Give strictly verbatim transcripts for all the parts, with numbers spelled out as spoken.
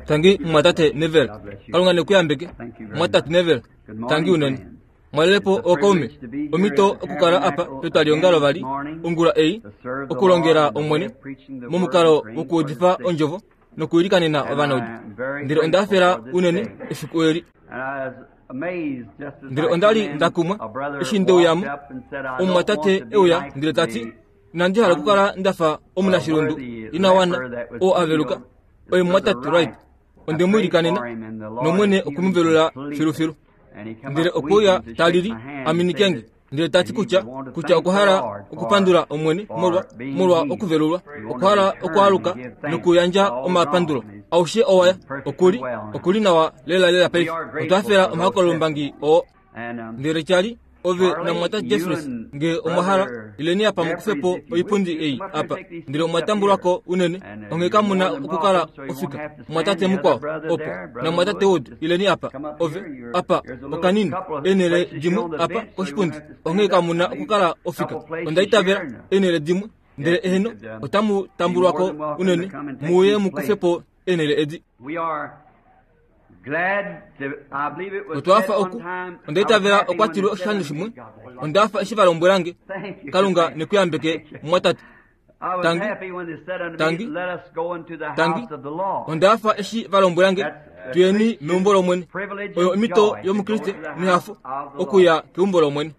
Tangi mwatate Neville. Kalunga nekuyambeke. Mwatate Neville. Tangi unene. Mwalelepo ookaume. Omito okukala apa petwaliongalo vali ongula ei okulongela Omwene momukalo wokuudifa ondjovo nokuilikanena ovanaudu. Ndele onda hafela unene efiku eli. Ndele onda li nda kumwa eshi ndeuyamo. Omumwatate euya ndele tati inandi hala okukala ndafa omunashilundu ina wana oo aveluka. Oye mumwatate Wright. Onde mu ilikanena nOmwene okwe mu velula filufilu. Ndele okwe uya talili aminikenge ndele tati kutya kutya okwa hala okupandula Omwene molwa molwa okuvelulwa, okwa hala okwaaluka nokuyandja omapandulo. Aushe owaya okuli okuli nawa lela lela paife. Otwa hafela omahokololombangi oo. Ndele Charlie, ove namumwatate Jeffries nge omwa hala ileni apa mukufepo oipundi ei apa. Ndele omwa tambulwako unene, onghee kamuna okukala ofika. Mumwatate mukwao opo namumwatate Wood ileni apa. Ove apa okanini eenhele dimwe apa koshipundi, onghee kamuna okukala ofika. Onda itavela eenhele dimwe, ndele eheno otamu tambulwako unene muuye mukufepo eenhele edi. Otwa fa oku onda itavela okwa tilwe oshikando shimwe. Onda fa eshi va lombwelange. Kalunga nekuyambeke mumwatate. Tangi, tangi, tangi. Onda fa eshi va lombwelange tuyeni meumbo lOmwene. Oyo omito yomukriste nehafo okuya keumbo lOmwene.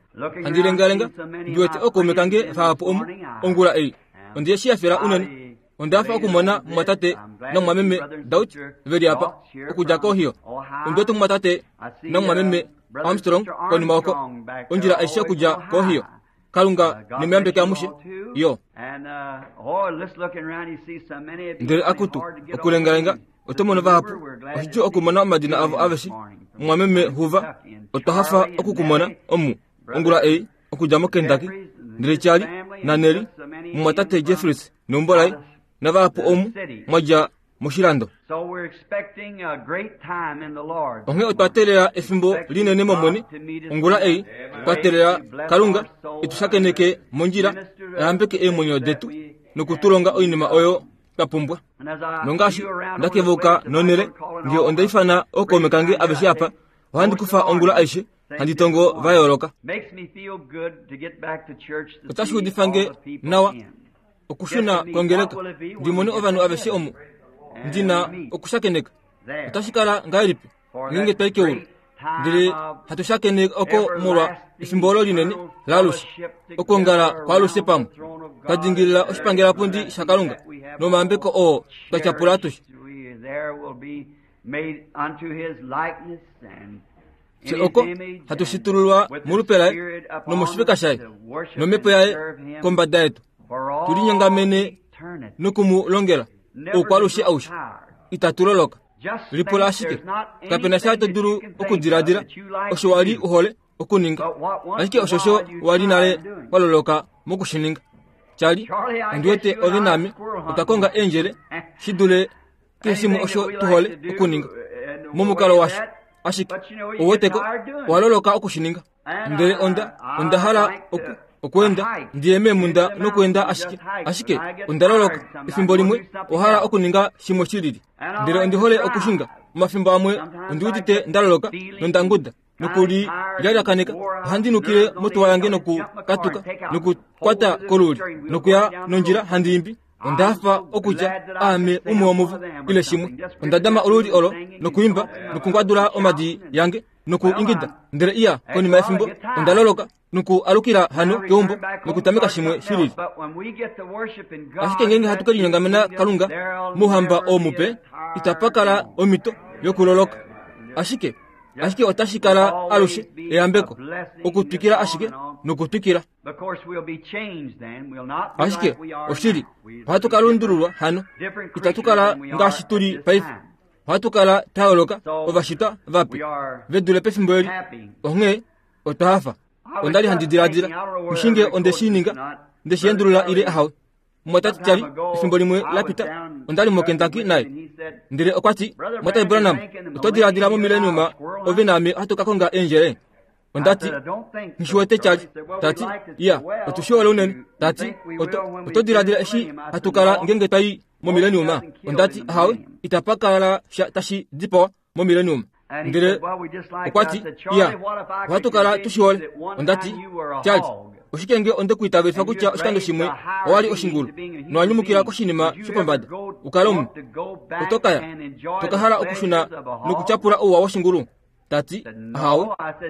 Handi lengalenga ndi wete ookaume kange vahapu omu ongula ei. Onde shi hafela unene. Onda fa okumona mumwatate namumwameme Dauch veli apa okudja kOhio. Ondi wete mumwatate namumwameme Armstrong konima oko ondjila aishe okudja kOhio. Kalunga nemuyambeke amushe. Yo. Ndele akutu okulengalenga oto mono vahapu. Oshidjuu okumona omadina avo aveshe. Mumwameme Hoover, otwa hafa okukumona omu ongula ei okudja moKentucky. Ndele Charlie naNelly, mumwatate Jeffries neumbo laye, navahapu omu mwadja moshilando. Onghee otwa teelela efimbo linene mOmwene ongula ei. Twa teelela Kalunga etu shakeneke mondjila, ayambeke eemwenyo detu nokutulonga oinima oyo twa pumbwa. Nongaashi ndakevouka nonhele, nge onda ifana ookaume kange aveshe apa, ohandi kufa ongula aishe handi tongo va yooloka. Otashi udifa nge nawa okushuna kongeleka ndi mone ovanhu aveshe omu ndina okushakeneka. Otashi kala ngahelipi ngeenge twai keulu ndele hatu shakene oko molwa efimbo olo linene laalushe, okwoongala kwaalushe pamwe, twa dingilila oshipangelapundi shaKalunga nomayambeko oo twa tyapula atushe. Fye oko hatu shitululwa molupe laye nomoshifeka shaye nomhepo yaye kombada yetu, tulinyongamene noku mu longela oukwalushe aushe. Itatu loloka. Lipula ashike, kapena sha to dulu okudiladila osho wa li uhole okuninga, ashike oshosho wa li nale wa loloka mokushininga. Charlie, ondi wete ove naame otwa konga eendjele shi dule keshe shimwe osho tu hole okuninga momukalo washo, ashike ouweteko owa loloka okushininga. Ndele onda onda hala oku okuenda ndiye meemunda nokuenda ashike ashike onda loloka. Efimbo limwe owa hala okuninga shimwe shilili. Ndele ondi hole okushinga. Omafimbo amwe ondi udite nda loloka nonda nguda nokuli lyalyakaneka. Ohandi nukile motuwa yange nokukatuka nokukwata koluli nokuya nondjila handi imbi. Onda hafa okutya aame umwe womuvo ile shimwe. Onda dama oluli olo nokuimba nokungwadula omadi yange nokuingida. Ndele iya konima yefimbo onda loloka noku alukila hano keumbo nokutameka shimwe shilili. Ashike ngeenge hatu kelinyongamena Kalunga mouhamba oo mupe, itapa kala omhito yokuloloka. Ashike ashike otashi kala alushe eyambeko okutwikila ashike nokutwikila. Ashike oshili ohatu ka lundululwa hano, itatu kala ngaashi tuli paife. Ohatu kala twa yooloka ovashitwa vape ve dule pefimbo eli. Onghee otwa hafa. Onda li handi diladila mushinge onde shi ninga nde shi endulula ile ahawe. Mumwatate Charlie efimbo limwe la pita onda li moKentucky naye, ndele okwa ti, Mumwatate Branham, oto diladila momilenium ove naame ohatu ka konga eendjele? Onda ti, Nghi wete Charlie. Tati, iya, otu shi hole unene. Tati, oto, oto diladila eshi hatu kala ngeenge twai momileniuma. Ondati ahawe, itapa kala sha tashi dipawa momileniuma. Ndele okwa ti, iya, ohatu kala tushihole. Ondati, Charlie, oshike nge onde kuitavelifa kutya oshikando shimwe owali oshingulu nowanyumukila koshinima shopombada ukale omunhu, oto kaya toka hala okushuna nokutyapula ouwa woshingulu? Tati ahawe.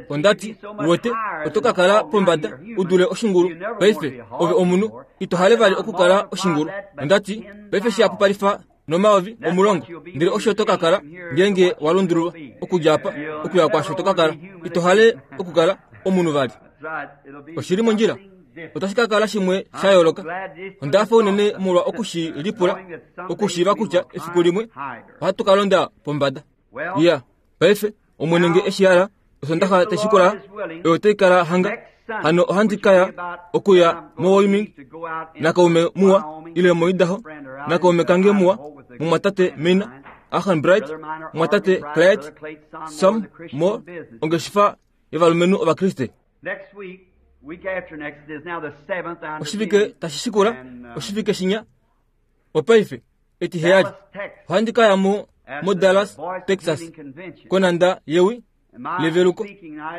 Ondati, uwete, oto ka kala pombada udule oshingulu. Paife ove omunhu, ito hale vali okukala oshingulu. Ondati, paife shiyapupalifa nomayovi omulongo, ndele osho to ka kala ngeenge wa lundululwa okudja apa okuya kwaasho to ka kala. Ito hale okukala omunhu vali. Oshili mondjila, otashi ka kala shimwe sha yooloka. Onda fa unene molwa okushi lipula, okushiiva kutya efiku limwe ohatu ka londa pombada. Iya, paife Omwene nge eshi hala, osondaxa tashi kula oyo tai kala hanga. Hano ohandi kaya okuya moWyoming nakaume muwa, ile moIdaho nakaume kange muwa, mumwatate Mina Ahan Bright, mumwatate Clyde Sam Moore, ongeshefa yovalumenhu Ovakriste. Oshivike tashi shikula, oshivike shinya, opaife etiheyali, ohandi kaya mo moDallas, Texas, konanda yewi leveluko,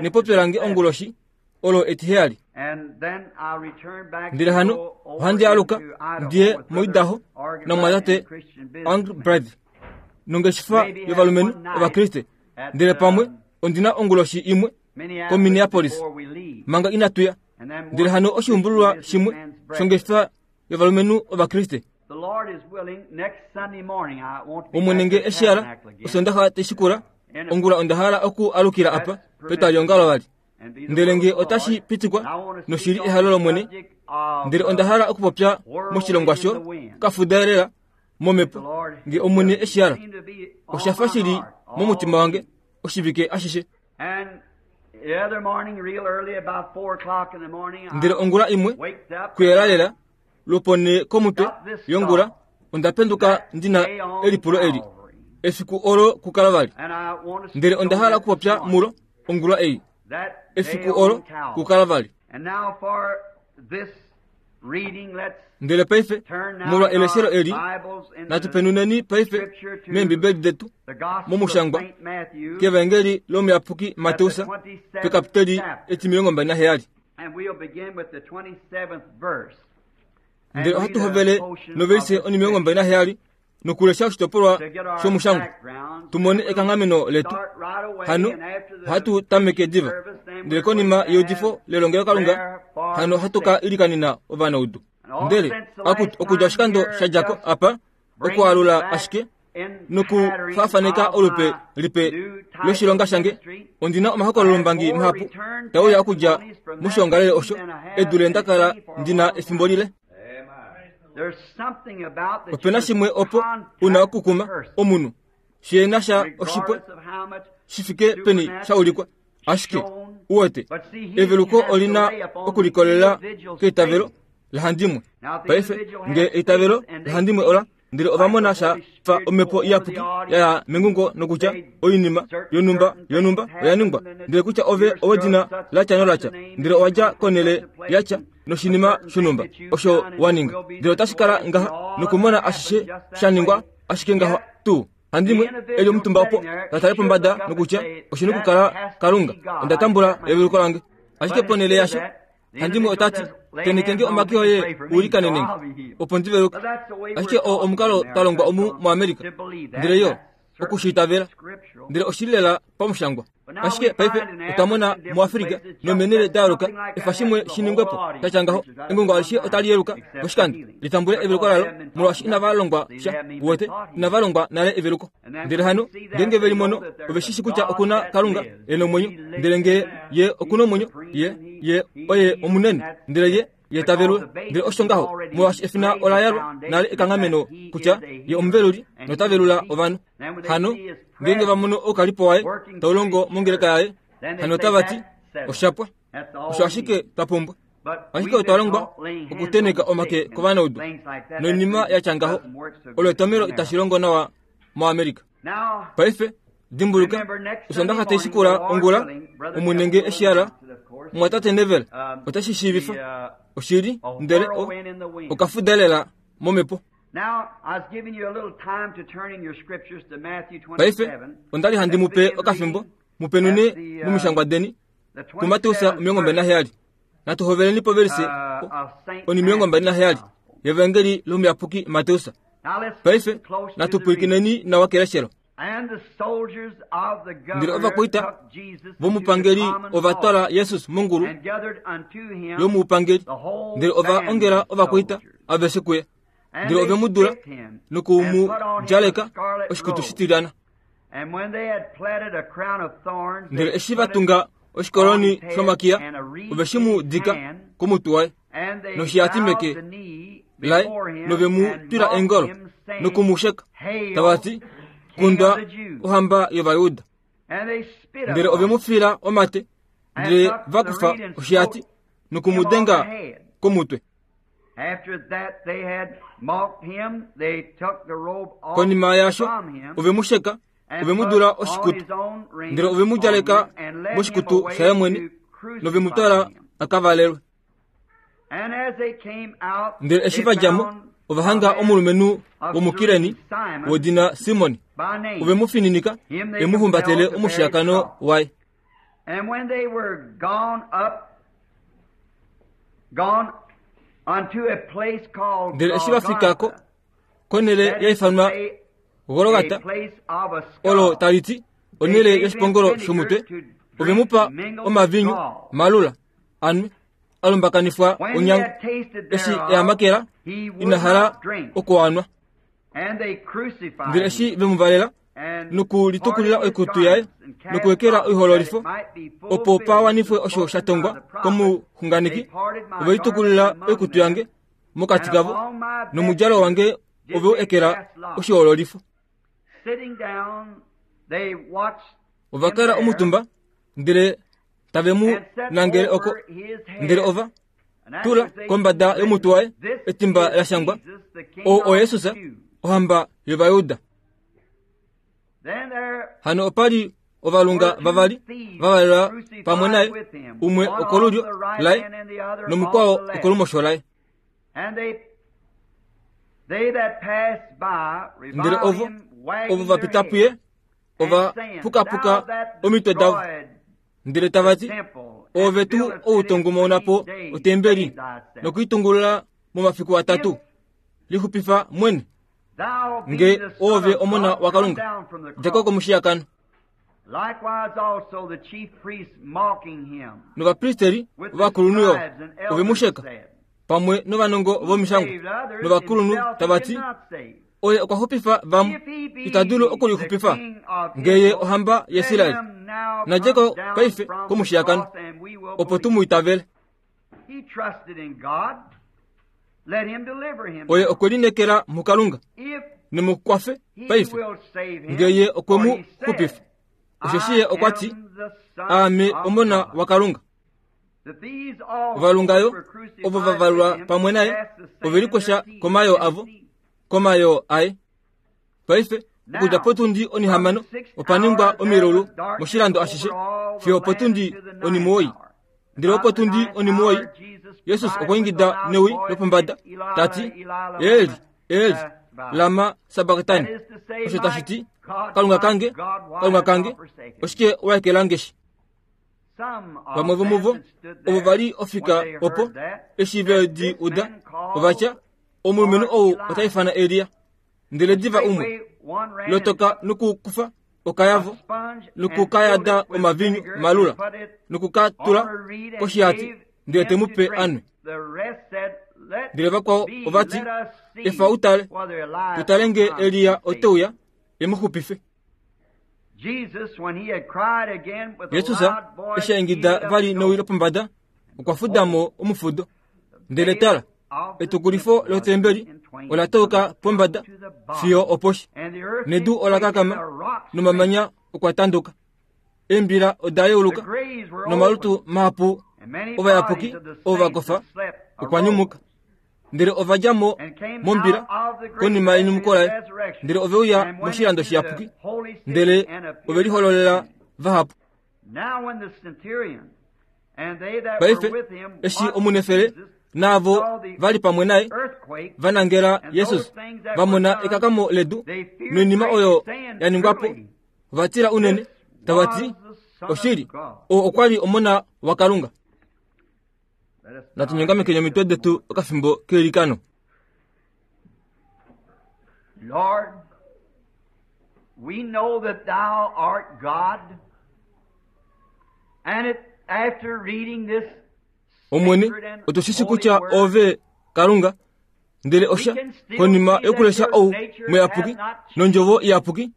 nepopyo lange onguloshi olo etiheyali. Ndele hano ohandi aluka ndiye moIdaho namwatate Anglbrad nongeshefa yovalumenhu Ovakriste, ndele pamwe ondina onguloshi imwe koMinneapolis manga inatuya. Ndele hano oshiumbululwa shimwe shongeshefa yovalumenhu Ovakriste. Omwene nge eshi hala, osondaxa tashi kula ongula onda hala oku alukila apa petwaliongalo vali. Ndele nge otashi pitikwa noshili ehalo lOmwene, ndele onda hala okupopya moshilongwa sho kafudaelela momhepo, nge Omwene eshi hala. Osha fa shili momutima wange oshivike ashishe. Ndele ongula imwe kuyela lela lwopone komutwe yongula, onda penduka ndina elipulo eli efiku olo kukala vali. Ndele onda hala okupopya mulo ongula ei, efiku olo kukala vali. Ndele paife molwa eleshelo eli, natupenuneni paife meembibeli detu momushangwa kEvangeli lomuyapuki Mateus pekapiteli etimilongo mbali naheyali. Ndele ohatu hovele novelise onimilongo mbali naheyali nokulesha oshitopolwa shomushangwa tumone ekanghameno letu. Hano ohatu tameke diva, ndele konima yeudifo lelongelokalunga hano ohatu ka ilikanena ovanaudu. Ndele okudja oshikando sha djako apa okualula ashike nokufaafaneka olupe lipe loshilonga shange, ondina omahokololombangi mahapu tauya okudja moshiongalele osho edule nda kala ndina efimbo lile. Opena shimwe opo una okukuma omunhu shiena sha oshipwe shifike peni shaulikwa, ashike uwete eveluko olina okulikolela keitavelo lahandimwe. Paife nge eitavelo lahandimwe ola, ndele ovamona sha fa omhepo iyapuki yaya mengungo nokutya oinima yonumba yonumba oya ningwa, ndele kutya ove owedina latya nolatya, ndele owadja konele yatya noshinima shonumba osho waninga, ndele otashi kala ngaha nokumona ashishe sha ningwa ashike ngaha tuu. Handimwe eli omutumba opo tatale pombada nokutya oshina okukala Kalunga, onda tambula eveluko lange. Ashike ponele yasho handimwe otati tenekenge omake oye ulikanenenge opo ndiveluke. Ashike oo omukalo talongwa omu muAmerika, ndele yo okushiitavela, ndele oshili lela pamushangwa. Ashike paife otwamona muAfrika nomenele dayooloka efa shimwe shiningwepo tatya ngaho, engungo alishe otali yeluka poshikando litambule eveluko lalo, molwaashi inava longwa sha. Uwete, inava longwa nale eveluko. Ndele hano ngeenge veli mono ove shishi kutya okuna Kalunga e nomwenyo, ndele nge ye okuna omwenyo, ye ye oye omunene, ndele ye ye tavelwe. Ndele osho ngaho molwaashi efina ola yalwa nale ekanghameno kutya ye omuveluli notavelula ovanhu. Hano ngeenge vamono oukalipo waye taulongo mongeleka yaye, hano otava ti oshapwa, osho ashike twa pumbwa. Ashike otwa longwa okuteneka omake kovanaudu noinima yatya ngaho, olo etomelo itashi longo nawa moAmerika. Paife dimbuluka, osondaxa tai shikula ongula, Omwene nge eshi hala, mumwatate Neville otashi shiivifa oshili, ndele o okafuda lela momhepo. Paife onda li handi mu pe okafimbo mupenune mumishangwa deni kuMateus omilongo mbali naheyali. Natu hoveleni povelise oni omilongo mbali naheyali yevangeli lomuyapuki Mateus. Paife natu pwilikineni nawa keleshelo. Ndele ovakwaita vomupangeli ova twala Jesus mongulu yomuupangeli, ndele ova ongela ovakwaita aveshe kuye, ndele ove mu dula noku mu djaleka oshikutu shitilyana. Ndele eshi va tunga oshikoloni shomakiya, ove shi mu dika komutwe waye noshihati meke laye, nove mu twila eengolo noku mu sheka, tava ti, Kundwa ohamba yOvayuda. Ndele ove mu fila omate, ndele va kufa oshihati noku mu denga komutwe. Konima yaasho ove mu sheka, ove mu dula oshikutu, ndele ove mu djaleka moshikutu shaye mwene, nove mu twala a ka valelwe. Ndele eshi va dja mo, ova hanga omulumenhu womukireni wodina Simon, ove mu fininika e mu humbatele omushiyakano waye. Ndele eshi va fika ko konhele ya ifanwa Golgata, olo tali ti onhele yoshipongolo shomutwe, ove mu pa omavinyu malula anwe a lumbakanifwa onyango. Eshi e a makela, ina hala okuanwa. Ndele eshi ve mu valela nokulitukulila oikutu yaye nokuwekela oihoololifo, opo pa wanifwe osho sha tongwa komuxunganeki, ove litukulila oikutu yange mokati kavo, nomudjalo wange ove u ekela oshihoololifo. Ova kala omutumba, ndele tave mu nangele oko, ndele ova tula kombada yomutwe waye etimba la shangwa, ou oYesus, ohamba yOvayuda. Hano opa li ovalunga vavali va valelwa pamwe naye, umwe okolulyo laye nomukwao okolumosho laye. Ndele ovo ovo va pita puye ova pukapuka omitwe davo, ndele tava ti, Ove tuu ou tongumauna po otembeli nokuitungulula momafiku atatu, lixupifa mwene, nge ove omona waKalunga, dja ko komushiyakano. Novapristeri ovakulunhu yo ove mu sheka pamwe novanongo vomishangwa novakulunhu tava ti, Oye okwa xupifa vamwe, ita dulu okulixupifa, nge ye ohamba yaIsrael. Na dje ko paife komushiyakano, opo tu mu itavele. Oye okwe lineekela muKalunga, nemu kwafe paife, nge ye okwe mu xupifa. Osheshi ye okwa ti, Aame omona waKalunga. Ovalunga yo ovo va valwa pamwe naye ove likwesha komayoo avo, komayoo aye. Paife okudja potundi onihamano opa ningwa omilulu moshilando ashishe fiyo opotundi onimuwoi. Ndele opotundi onimuwoi Jesus okwa ingida newi lopombada ta ti, Eli, Eli, lama sabaktani, osho tashi ti, Kalunga kange, Kalunga kange, oshike wa ekela nge shi? Vamwe vomuvo ovo va li ofika opo eshi ve di uda, ova tya, Omulumenhu ou ota ifana Elia. Ndele diva umwe lotoka nokukufa okayavo nokukayada omavinyu malula nokukatula koshihati, ndele te mu pe anwe. Ndele vakwao ova ti, Efa utale, tutale nge Elia ote uya e mu xupife. Jesus eshi a ingida vali newi lopombada, okwa fuda mo omufudo. Ndele tala, etukulifo lotembeli ola tauka pombada fiyo oposhi, nedu ola kakama nomamanya okwa tanduka. Eembila oda yeuluka nomalutu mahapu ovayapuki ovo va kofa okwa nyumuka. Ndele ova dja mo mombila konima yenyumuko laye, ndele ove uya moshilando shiyapuki, ndele ove lihololela vahapu. Paife eshi omunefele Naavo vali pamwe naye va nangela Jesus va mona ekakamo ledu noinima oyo ya ningwa po, va tila unene, tava ti, oshili, oo okwa li omona waKalunga. Natu nyongamekeni omitwe detu okafimbo keilikano. Lord, we know that thou art God, and it, after reading this Omwene, otu shi kutya ove Kalunga, ndele osha konima yokulesha ou muyapuki nondjovo iyapuki,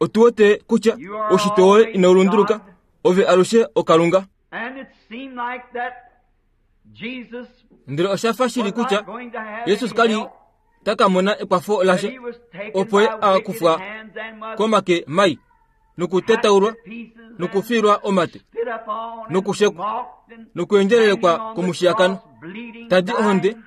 otu wete kutya oushitwe woye inau lunduluka, ove alushe oKalunga. And it seemed like that Jesus Ndele osha fa shili was kutya not going to have Jesus any kali help, taka mona ekwafo that lashe he was taken opo ye by a wicked kufwa hands and was komake mai nokutetaulwa hacked to pieces and nokufilwa omate spit upon and nokushekwa mocked and nokuendjelelekwa hanging on the komushiyakano, cross, bleeding, tadi ohonde, dying,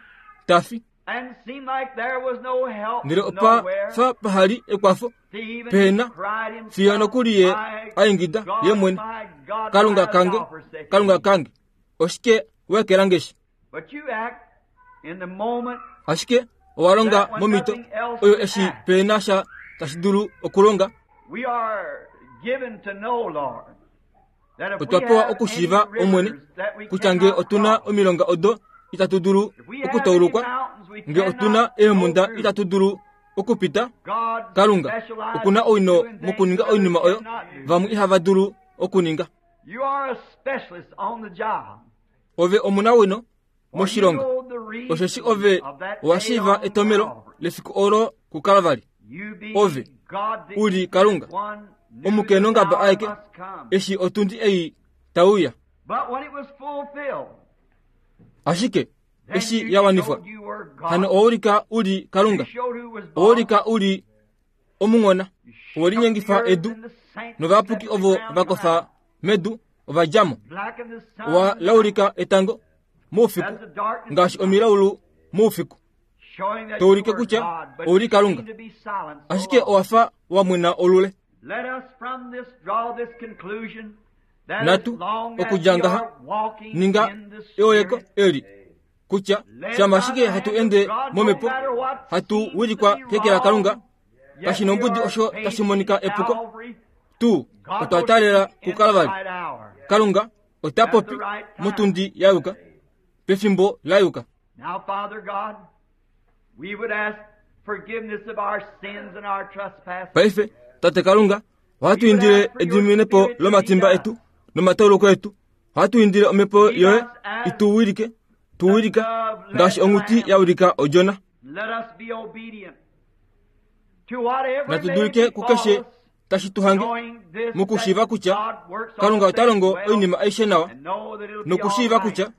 tafi. and seemed like there was no help Ndele opa nowhere. fa pahali ekwafo He even pehena cried himself, fiyo nokuli ye "My aingida God, ye mwene, my God, Kalunga why hast kange, thou forsaken Kalunga me?" kange, oshike wekelangeshi? But you act in the moment Ashike owa longa momito oyo eshi pehena sha tashi dulu okulonga. we are given to know, Lord, that if Otwa we pewa have okushiiva any Omwene rivers that we kutya nge cannot otuna cross, omilonga odo itatu dulu if we have any okutauluka, mountains we nge otuna cannot go eemhunda through, itatu dulu okupita, God Kalunga specializes okuna owino in doing things mokuninga that oinima others oyo cannot do. vamwe ihava dulu okuninga. You are a specialist on the job. Ove omunawino For you moshilonga, know the reason osheshi ove of that owa day shiiva on etomelo Calvary. lefiku olo kuKalvari. You being Ove, God the uli Kalunga, one knew omukenongaba the hour aeke must come. eshi otundi ei tauya. But when it was fulfilled, Ashike then eshi you ya wanifwa, showed you were God. hano oulika uli You Kalunga, showed who was boss. oulika uli omung'ona, You owe shook the linyengifa earth edu and the saints novayapuki that ovo the ground va kofa around. medu ova dja mo. Blacken the sun Owa laulika etango moufiku as the darkness ngaashi of night, omilaulu moufiku, showing that to ulike you were kutya God, but ouli you Kalunga. seemed to be silent so ashike long. owa fa wa mwena olule. Let us from this draw this conclusion that as Natu long as okudja we ngaha are walking ninga in the eoleko Spirit, eli kutya led shama by ashike the hatu hand of ende God, no momhepo matter what hatu seems to wilikwa be keke laKalunga, wrong, yet kashi we nombudi are osho tashi facing monika epuko, Calvary. tu God otwa will taalela speak in the kuKalvari. right hour. Kalunga ota At popi the right time. motundi ya yuka, pefimbo la yuka. Now, Father God, we would ask forgiveness of our sins and our trespasses. Paife Tate Kalunga, ohatu We would indile ask for your ediminepo Spirit to lead lomatimba us. etu nomatauluko etu. Ohatu indile omhepo Lead yoye us as itu wilike, tu the wilika dove led ngaashi the onghuti lamb. ya wilika odjona. Let us be obedient to whatever Natu may dulike befall kukeshe us, tashi tu hange knowing this mokushiiva that kutya God works all Kalunga ota things longo well, oinima aishe nawa and know that it'll be all nokushiiva right. kutya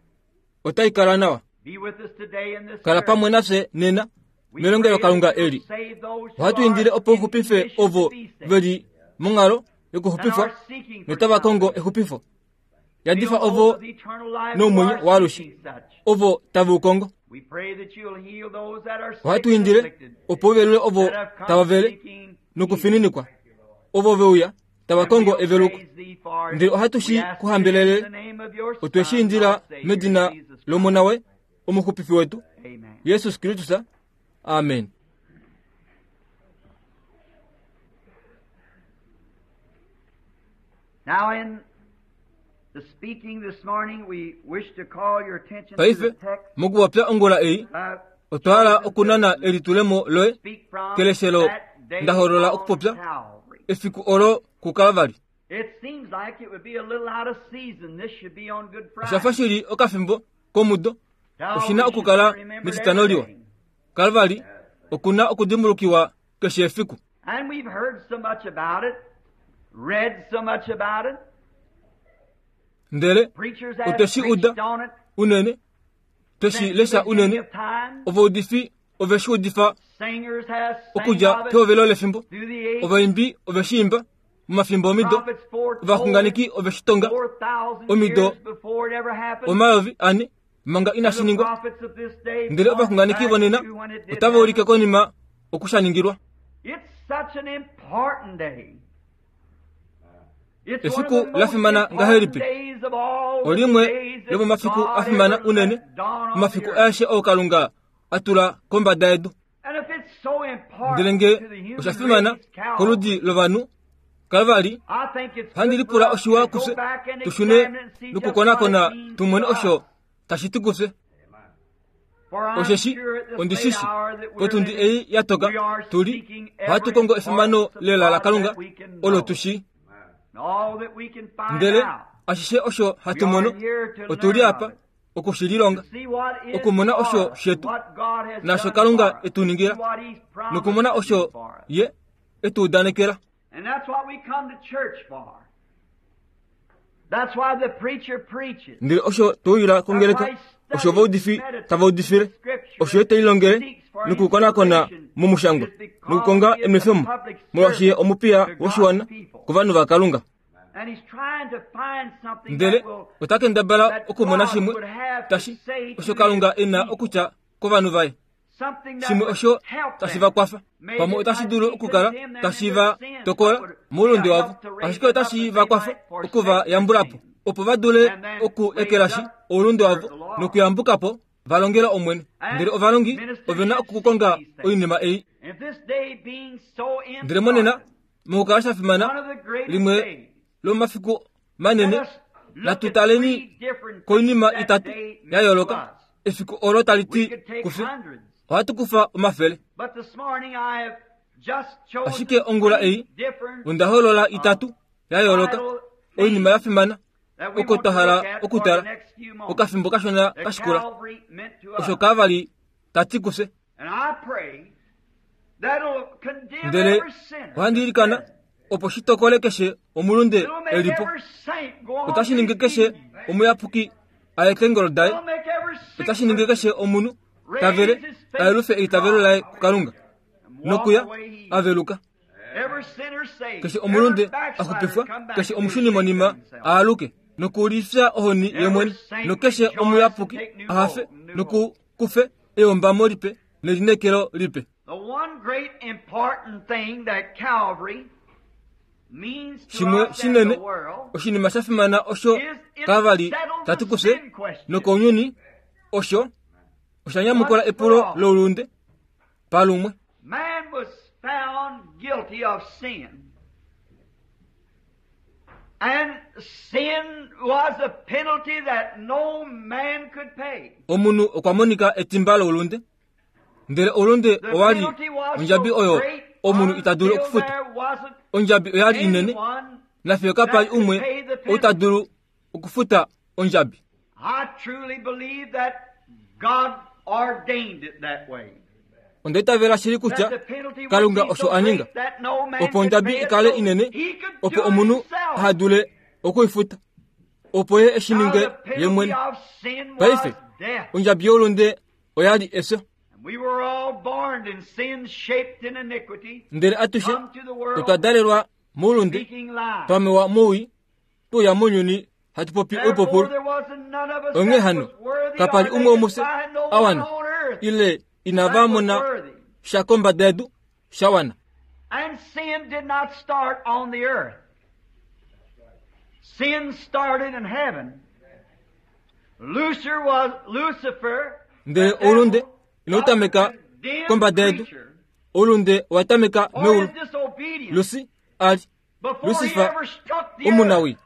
otai kala nawa. Be with us today in this Kala service. pamwe nafye nena We melongelo pray that Kalunga you'll eli. save those who Ohatu are indile opo in uxupife condition to ovo be saved veli monghalo and yokuxupifwa are seeking for notava kongo salvation. exupifo. Yadifa Fill those ovo with eternal life who nomwenyo are waalushe, seeking such. ovo tave u kongo. We pray that you'll heal those that are sick Ohatu and indile afflicted, opo u velule ovo that have come tava vele seeking healing. nokufininikwa, ovo veuya tava And kongo we'll eveluko. praise thee for it. Ndele ohatu We shi ask ku it in hambelele, the name of your otwe shi Son, indila our Savior, medina Jesus Christ. lomona waye omuxupifi wetu Amen. Yesus Kristus. Amen. Now in the speaking this morning, we wish to call your attention to Paife the text mokupopya ongula ei uh, otwa hala chosen okunana to elitulemo loye speak from keleshelo that day ndaholola on okupopya Calvary. efiku olo kuKalvari. It seems like it would be a little out of season. This should be on Good Osha fa Friday. shili okafimbo komudo Calvary oshina should be okukala remembered metitano every liwa. day. Kalvari okuna okudimbulukiwa keshe efiku. And we've heard so much about it, read so much about it. Ndele Preachers have otwe shi preached uda on it unene, twe shi since the lesha beginning unene, of time. ovaudifi ove shi udifa Singers have sang okudja of it pehovelo lefimbo, through the ages. ovaimbi ove shi imba momafimbo omido, Prophets foretold it ovaxunganeki ove shi tonga four thousand omido years before it ever happened. omayovi ane manga inashi And the ningwa. prophets of this day Ndele point ovaxunganeki back vonena to when it did otava ulike happen. konima okushaningilwa. It's such an important day. Efiku la fimana ngahelipi? Olimwe lomomafiku a fimana unene, omafiku aeshe oo Kalunga a tula kombada yedu. Ndele nge osha fimana koludi lovanhu Kalvari, handi lipula oshiwa kufye tushune nokukonakona tumone osho tashi ti kufye. Osheshi ondishishi potundi ei ya toka tuli ohatu kongo efimano lela laKalunga olo tushi. Ndele ashishe osho hatu mono otuli apa okushililonga, okumona osho shetu nasho Kalunga etu ningila, nokumona osho ye etu udanekela. And that's what we come to church for. That's why the preacher preaches. Ndele osho tuuyila kongeleka, osho vaudifi tava udifile, osho ye telilongele nokukonakona momushangwa nokukonga emwefemo, molwaashi ye omupiya woshiwana kovanhu vaKalunga. And he's trying to find something Ndele that will ota kendabala okumona shimwe tashi osho Kalunga ena okutya kovanhu vaye, something that shimwe would osho help tashi them. va kwafa. Maybe Pamwe it otashi might dulu be okukala condemn them tashi in va their sin, tokola but would moulunde help wavo, to raise ashike them up otashi that va they kwafa might forsake okuva yambulapo sin. opo va dule And then oku raise ekelashi up oulunde wavo serve the Lord. nokuyambukapo va longela Omwene. And Ndele ovalongi ministers ovena should okukonga see these things. oinima ei. And this day being so Ndele monena important, mokukala sha fimana one of the greatest limwe days, lomafiku manene, let us look at natu taleni three different koinima things that itatu day meant ya to yooloka. us. Efiku olo tali We ti could take kufye, hundreds. ohatu kufa omafele. But this morning I have just chosen Ashike ongula three ei, different onda holola itatu ya yooloka oinima ya fimana that we oko want twa to hala look at for okutala the next few moments. okafimbo kashona That kashikula Calvary meant to us. osho Kalvari ta ti kufye. And I pray that'll condemn Ndele every sinner. ohandi ilikana opo shi tokole keshe omulunde It'll make elipo, every saint go on otashi ningi his keshe knees. omuyapuki aye keengolo daye, It'll make every sick otashi ningi person keshe omunhu tavele ayelufe eitavelo laye kuKalunga and walk nokuya away healed. aveluka. Every sinner saved. Keshe omulunde Every backslider axupifwa, come back keshe to omushuni monima himself. aaluke nokulifya ohoni ye mwene, nokeshe omuyapuki ahafe nokukufe eyombamo lipe nelinekelo lipe. The one great important thing that Calvary means to Shimwe us and shinene the world oshinima sha fimana osho is it Kalvari settled tati the kufye sin question. nokounyuni osho osha nyamukula epulo loulunde palumwe. Man was found guilty of sin. And sin was a penalty that no man could pay. Omunhu okwa monika etimba loulunde, ndele oulunde The owali penalty was ondjabi so oyo great omunhu ita dulu until okufuta. there wasn't Ondjabi oyali inene anyone. nafiyo kapali umwe ou ta dulu okufuta ondjabi. I truly believe that God ordained it that way. Onda itavela shili That kutya the penalty would Kalunga be osho so a ninga great that no man opo could ondjabi pay it, ikale so inene he could opo do it omunhu himself. aha dule okuifuta opo ye eshi Now, ninge the ye penalty mwene. of sin was Paife death. ondjabi youlunde oyali efyo, And we were all born in sin, shaped in iniquity, ndele atushe come to the world otwa dalelwa moulunde speaking lies. twamewa mowii tuuya mounyuni hatu popi Therefore, oipupulu. there wasn't none of us Onghee that hano was worthy kapali or umwe they could womufye find no a one wana on earth ile inava that was mona worthy. sha kombada yedu sha wana. And sin did not start on the earth. Sin started in heaven. Lucifer was Lucifer. Ndele the devil, oulunde inau tameka was a condemned kombada yedu. creature Oulunde owa tameka for meulu. his disobedience Lusi ali before he Lucifer ever struck the earth. omunawi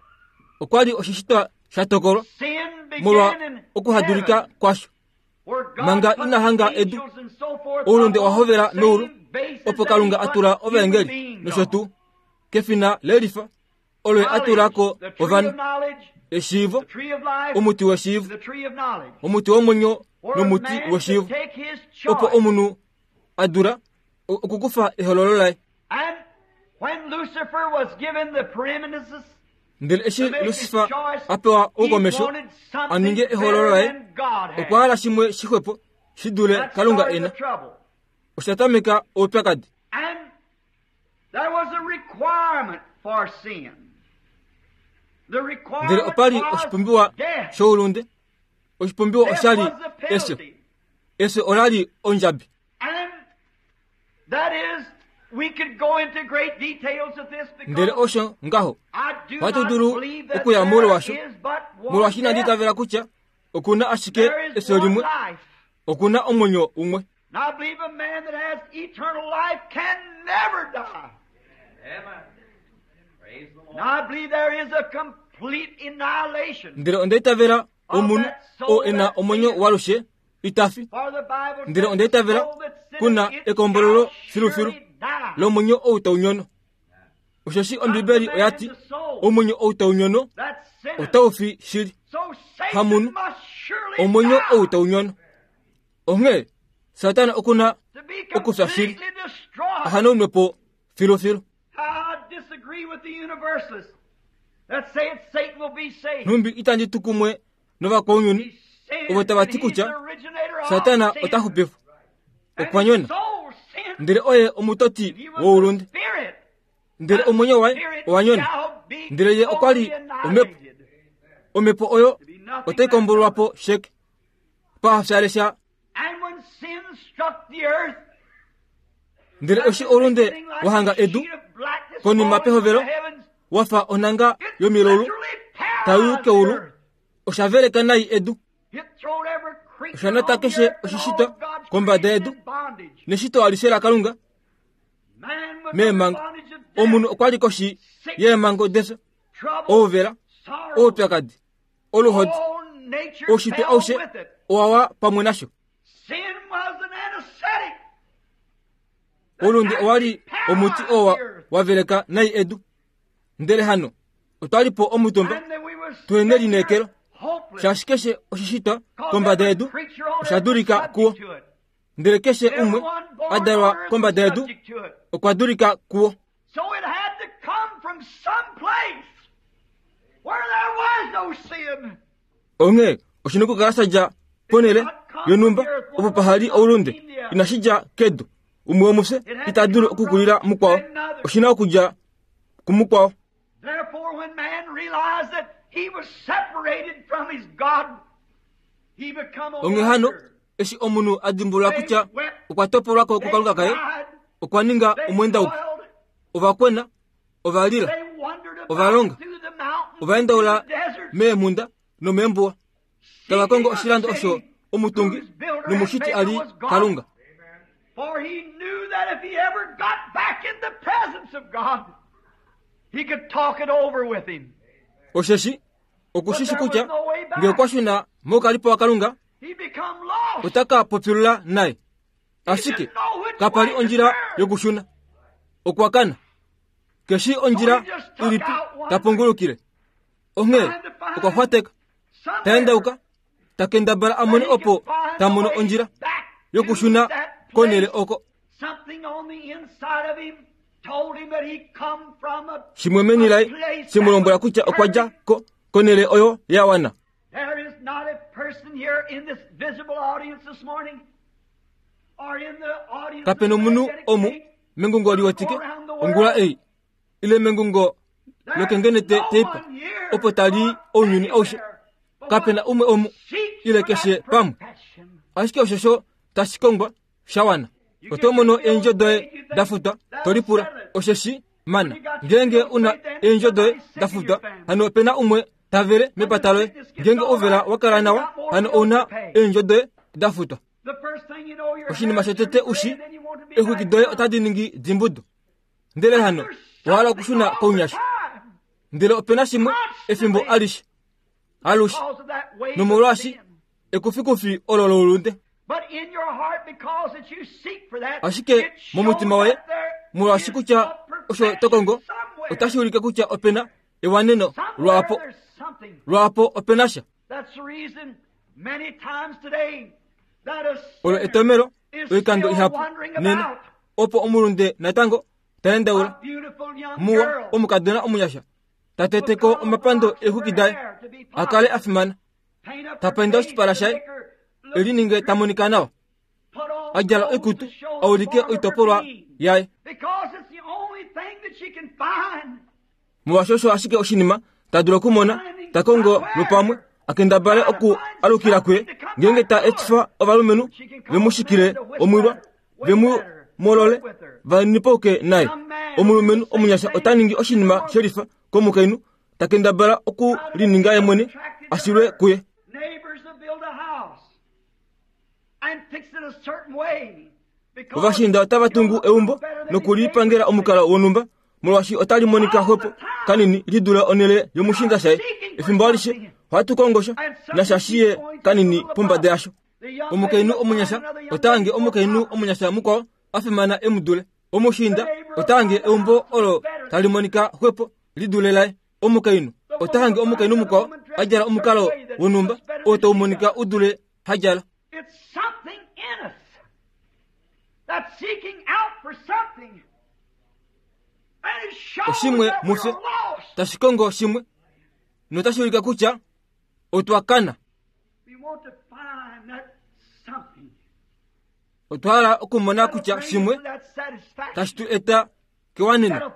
okwa li oshishitwa sha tokolwa Sin molwa began in okuhadulika heaven, kwasho. where God Manga put ina hanga the edu, angels and so forth oulunde up owa on hovela the meulu same basis opo that Kalunga he a put tula human ovaengeli beings nosho on. tuu kefina lelifa olo ye a tula ko Knowledge, the tree of ovanhu knowledge, eshiivo the tree of life, omuti weshiivo the tree of knowledge. omuti womwenyo Where nomuti man could weshiivo take his opo choice. omunhu a dula okukufa ehololo laye. And when Lucifer was given the preeminence Ndele eshi to make his Lucifer choice, a pewa he oukomesho wanted a ninge something ehololo better laye than God had. okwa hala shimwe shixwepo shi dule That Kalunga started ena. the trouble. Osha tameka oupyakadi. And there was a requirement for sin. The Ndele requirement opa li was oshipumbiwa death. shoulunde. Oshipumbiwa Death osha li was the efyo. penalty. Efyo ola li ondjabi. And that is, we could go into great details of this Ndele because osho ngaho I Ohatu dulu okuya moule washo, molwaashi inandi itavela kutya oku na ashike efyo limwe, oku na omwenyo umwe. Ndele onda itavela omunhu oo e na omwenyo waalushe ita fi. Ndele onda itavela kuna ekombololo filufilu lomwenyo ou tau nyono. Osheshi Ombibeli oya ti omwenyo ou tau nyono otau fi shili. Hamunhu omwenyo ou tau nyono. Onghee Satana oku na okufya shili, ahanaunwe po filufilu. Nhumbi itandi tu kumwe novakwaunyuni ovo tava ti kutya Satana ota xupifwa. Okwa nyona, ndele oye omutoti woulunde. Ndele omwenyo waye owa nyona, ndele ye okwa li omhepo. Omhepo oyo otai kombololwa po sheke pahafyalesha. Ndele eshi oulunde wa hanga edu konima pehovelo wa fa onhanga yomilaulu tai u keulu, osha veleka nai edu. Osha nata keshe oshishitwa kombada yedu neshito alishe laKalunga meemhango. Omunhu okwa li koshi yeemhango defyo, ouvela, oupyakadi, oluhodi, oushitwe aushe owa wa pamwe nasho. Oulunde owa li omuti oo wa veleka nai edu. Ndele hano otwa li po omutumba tuhena elineekelo, shaashi keshe oshishitwa kombada yedu osha dulika kuwo. Ndele keshe umwe a dalwa kombada yedu okwa dulika kuwo. Onghee oshi na okukala sha dja ponhele yonhumba opo paha li oulunde, inashi dja kedu. Umwe womufye ita dulu okukulila mukwao, oshi na okudja kumukwao. Onghee hano eshi omunhu a dimbulula kutya okwa topolwa ko kuKalunga kaye, okwa ninga omwendauki. Ova kwena, ova lila, ova longa, ova endaula meemhunda nomeembuwa, tava kongo oshilando osho omutungi nomushiti a li Kalunga. For he knew that if he ever got back in the presence of God, he could talk it over with him. Osheshi okushishi kutya ngee okwa shuna moukalipo waKalunga, ota ka popilula naye. Ashike kapa li ondjila yokushuna, okwa kana. Keshi ondjila ilipi ta pungulukile. Onghee okwa xwateka, ta endauka, ta kendabala a mone opo ta mono ondjila yokushuna konhele oko. Shimwe meni laye she mu lombwela kutya okwa dja ko konhele oyo ya wana. Kape nomunhu omu mengungo liwetike ongula ei, ile mengungo lokengenete teipa opo tali ounyuni aushe. Kape na umwe omu ile keshe pamwe. Ashike oshosho tashi kongwa sha wana. Oto mono eendjo doye da futwa, to lipula osheshi mana. Ngeenge una eendjo doye da futwa, hano ope na umwe ta vele mepata loye. Ngeenge ouvela wa kala nawa, hano ouna eendjo doye da futwa. Oshinima shotete ushi, eexwiki doye otadi ningi dimbudu. Ndele hano owa hala okushuna kounyasha. Ndele ope na shimwe efimbo alishe, alushe, nomolwaashi ekufikufi olo loulunde. Ashike momutima woye, molwaashi kutya osho to kongo otashi ulike kutya ope na ewaneno lwaapo, lwaapo ope na sha. Olo etomelo oikando ihapu nena opo omulunde natango ta endaula. Muwa omukadona omunyasha ta teteko omapando eexwiki daye a kale a fimana, ta painda oshipala shaye e lininge ta monika nawa, a djala oikutu a ulike oitopolwa yaye. Molwaashi osho ashike oshinima ta dulu okumona, ta kongo lwopamwe a kendabale oku alukila kuye, ngeenge ta etifa ovalumenhu ve mu shikile omwilwa, ve mu molole, va nipauke naye. Omulumenhu omunyasha ota ningi oshinima shelifa komukainhu ta kendabala oku lininga ye mwene ashilwe kuye. Ovashinda otava tungu eumbo nokulipangela omukalo wonhumba molwaashi otali monika xwepo kanini lidula onhele yomushinda shaye. Efimbo alishe ohatu kongosha nasha shiye kanini pombada yasho. Omukainhu omunyasha otaange omukainhu omunyasha mukwao a fimana emudule. Omushinda otaange eumbo olo tali monika xwepo lidule laye. Omukainhu otaange omukainhu mukwao a djala omukalo wonhumba oo tau monika udule ha djala. Oshimwe mufye tashi kongo shimwe notashi ulika kutya otwa kana. Otwa hala okumona kutya shimwe tashi tu eta kewaneno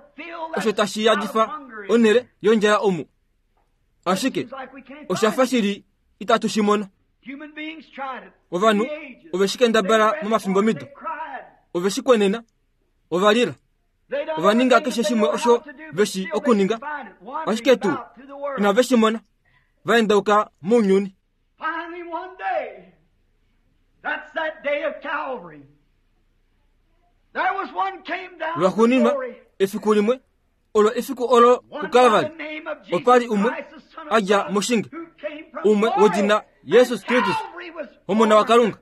osho tashi yadifa onhele yondjala omu. Ashike oshafa shili itatu shi mono. Ovanhu ove shi kendabala momafimbo mido, ove shi kwenena, ova lila, ova ninga keshe shimwe osho ve shi okuninga, ashike tuu inave shi mona, va endauka mounyuni. Lwaxuuninwa efiku limwe olo efiku olo kuKalvari opa li umwe a dja moshinge, umwe wedina Jesus Kristus, Omona waKalunga,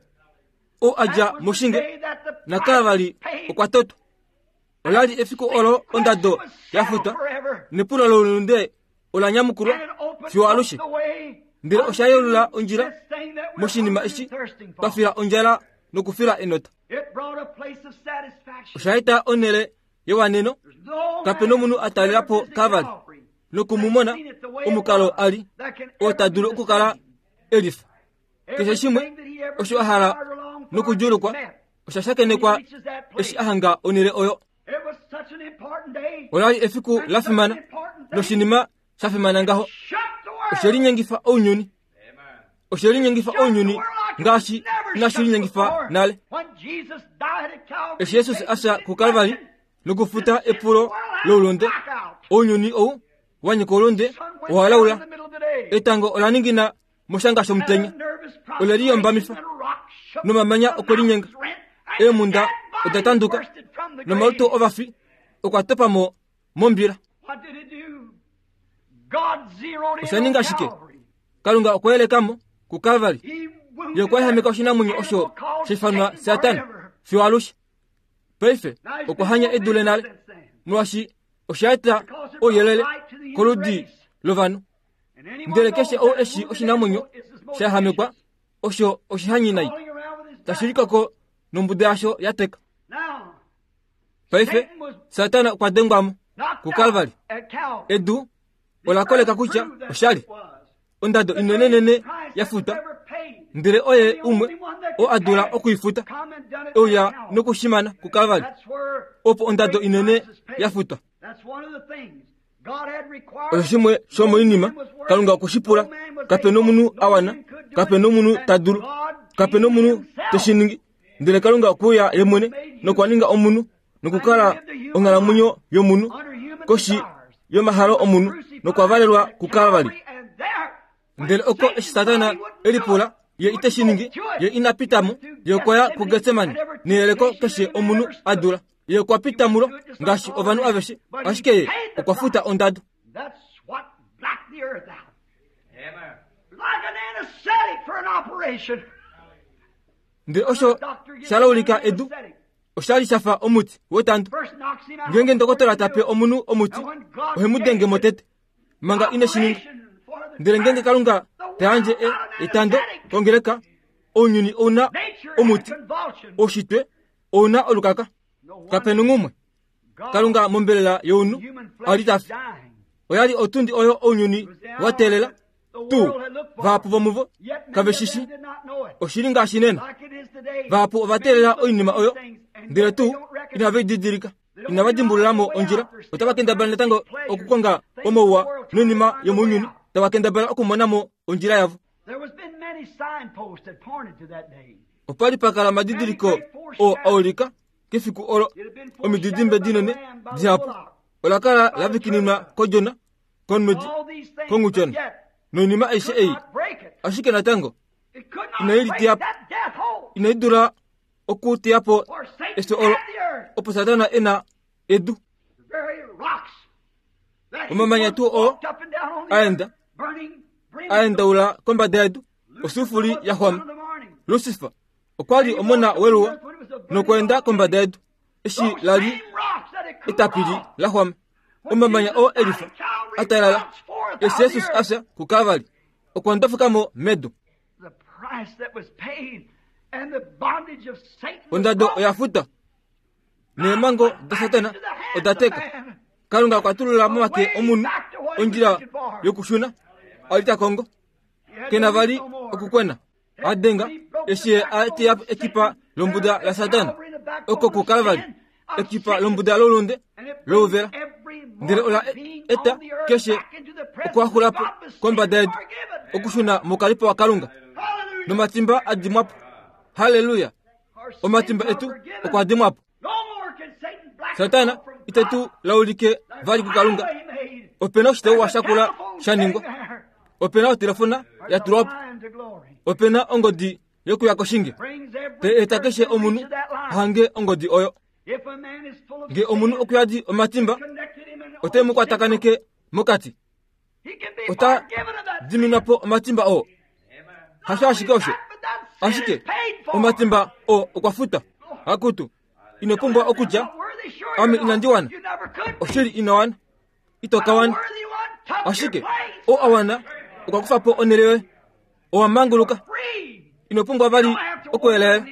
oo a dja moshinge, naKalvari okwa totwa. Ola li efiku olo ondado ya futwa nepulo loulunde ola nyamukulwa fiyo alushe. Ndele osha yeulula ondjila moshinima eshi twa fila ondjala nokufila enota. Osha eta onhele yewaneno. Kape nomunhu a talela po Kalvari nokumumona omukalo a li oo ta dulu okukala elifa. Keshe shimwe osho a hala nokudjuulukwa osha shakenekwa eshi a hanga onhele oyo. Ola li efiku la fimana noshinima sha fimana ngaho. Oshe linyengifa ounyuni. Oshe linyengifa ounyuni ngaashi inashi linyengifa nale. Eshi Jesus a fya kuKalvari nokufuta epulo loulunde, ounyuni ou wa nyika oulunde owa laula. Etango ola ningina moshanga shomutenya, ole liyombamifa nomamanya okwe linyenga. Eemhunda oda tanduka nomalutu ovafi okwa topa mo mombila. Osha ninga shike? Kalunga okwa yeleka mo kuKalvari. Ye okwa ehameka oshinamwenyo osho sha ifanwa Satana fiyo alushe. Paife okwa hanya edule nale, molwaashi osha eta ouyelele koludi lovanhu. Ndele keshe ou eshi oshinamwenyo sha ehamekwa osho oshihanyinai tashi likoko nombuda yasho ya teka. Paife Satana okwa dengwa mo kuKalvari. Edu ola koleka kutya oshali ondado inenenene ya futwa, ndele oye umwe oo a dula okuifuta euya nokushimana kuKalvari, opo ondado inene ya futwa. Osho shimwe shomoinima Kalunga okwe shi pula. Kape nomunhu a wana, kape nomunhu ta dulu, kape nomunhu te shi ningi. Ndele Kalunga okwe uya ye mwene nokwa ninga omunhu nokukala onghalamwenyo yomunhu koshi yomahalo omunhu nokwa valelwa kuKalvari. Ndele oko eshi Satana e lipula ye ite shi ningi, ye ina pita mo, ye okwa ya kuGetsemane neyeleko keshe omunhu a dula. Ye okwa pita mulo ngaashi ovanhu aveshe, ashike ye okwa futa ondado. Ndele osho sha laulika edu osha li sha fa omuti wetando. Ngeenge ndokotola ta pe omunhu omuti, ohe mu denge mo tete manga ine shi ninga. Ndele ngeenge Kalunga ta yandje etando kongeleka, ounyuni ouna omuti, oushitwe ouna olukaka. Kape nongumwe. Kalunga mombelela younhu a li ta fi. Oya li otundi oyo ounyuni wa teelela tuu. Vahapu vomuvo kave shi shi. Oshili ngaashi nena. Vahapu ova teelela oinima oyo, ndele tuu inave i didilika. Inava dimbulula mo ondjila. Otava kendabala natango okukonga omauwa noinima yomounyuni, tava kendabala okumona mo ondjila yavo. Opa li pa kala omadidiliko oo a ulika kefiku olo omididimbe dinene dihapu. Ola kala la vikininwa kOdjona, komwedi konghutyona noinima aishe ei, ashike natango inai liteya po, inai dula okuteya po efyo olo, opo Satana e na edu. Omamanya tuu oo aenda aendaula kombada yedu, osufuli ya xwama. Lucifer okwa li omona weluwa nokweenda kombada yedu eshi la li etapili la xwama. Omamanya oo elifa atalala eshi Jesus afya kuKalvari okwa ndofukamo medu. Ondado oya futa neemhango daSatana oda teka. Kalunga okwa tulula momake omunhu ondjila yokushuna ali ta kongo, kena vali okukwena. Adenga eshi a teya ekipa lombuda laSatana oko kuKalvari, ekipa lombuda lolunde louvela, ndele ola eta keshe okwaxulapo kombada yedu okushuna mokalipo waKalunga nomatimba adimwapo. Haleluya! Omatimba etu okwa dimwapo. Satana ite tu laulike vali kuKalunga. Opena oshitauwa shakula sha ningwa, opena otelefona ya tulwa po, opena ongodi yokuya koshinge te eta keshe omunhu ahange ongodi oyo. Nge omunhu okuyadi omatimba, ote mu kwatakaneke mokati, ota diminwa po omatimba oo. Hasho ashike osho, ashike omatimba oo okwa futa. Akutu, ino pumbwa okutya ame inandi wana, oshili ino wana, ito ka wana, ashike oo a wana okwa kufa po onhele yoye, owa manguluka. Ino pumbwa vali okuelaela,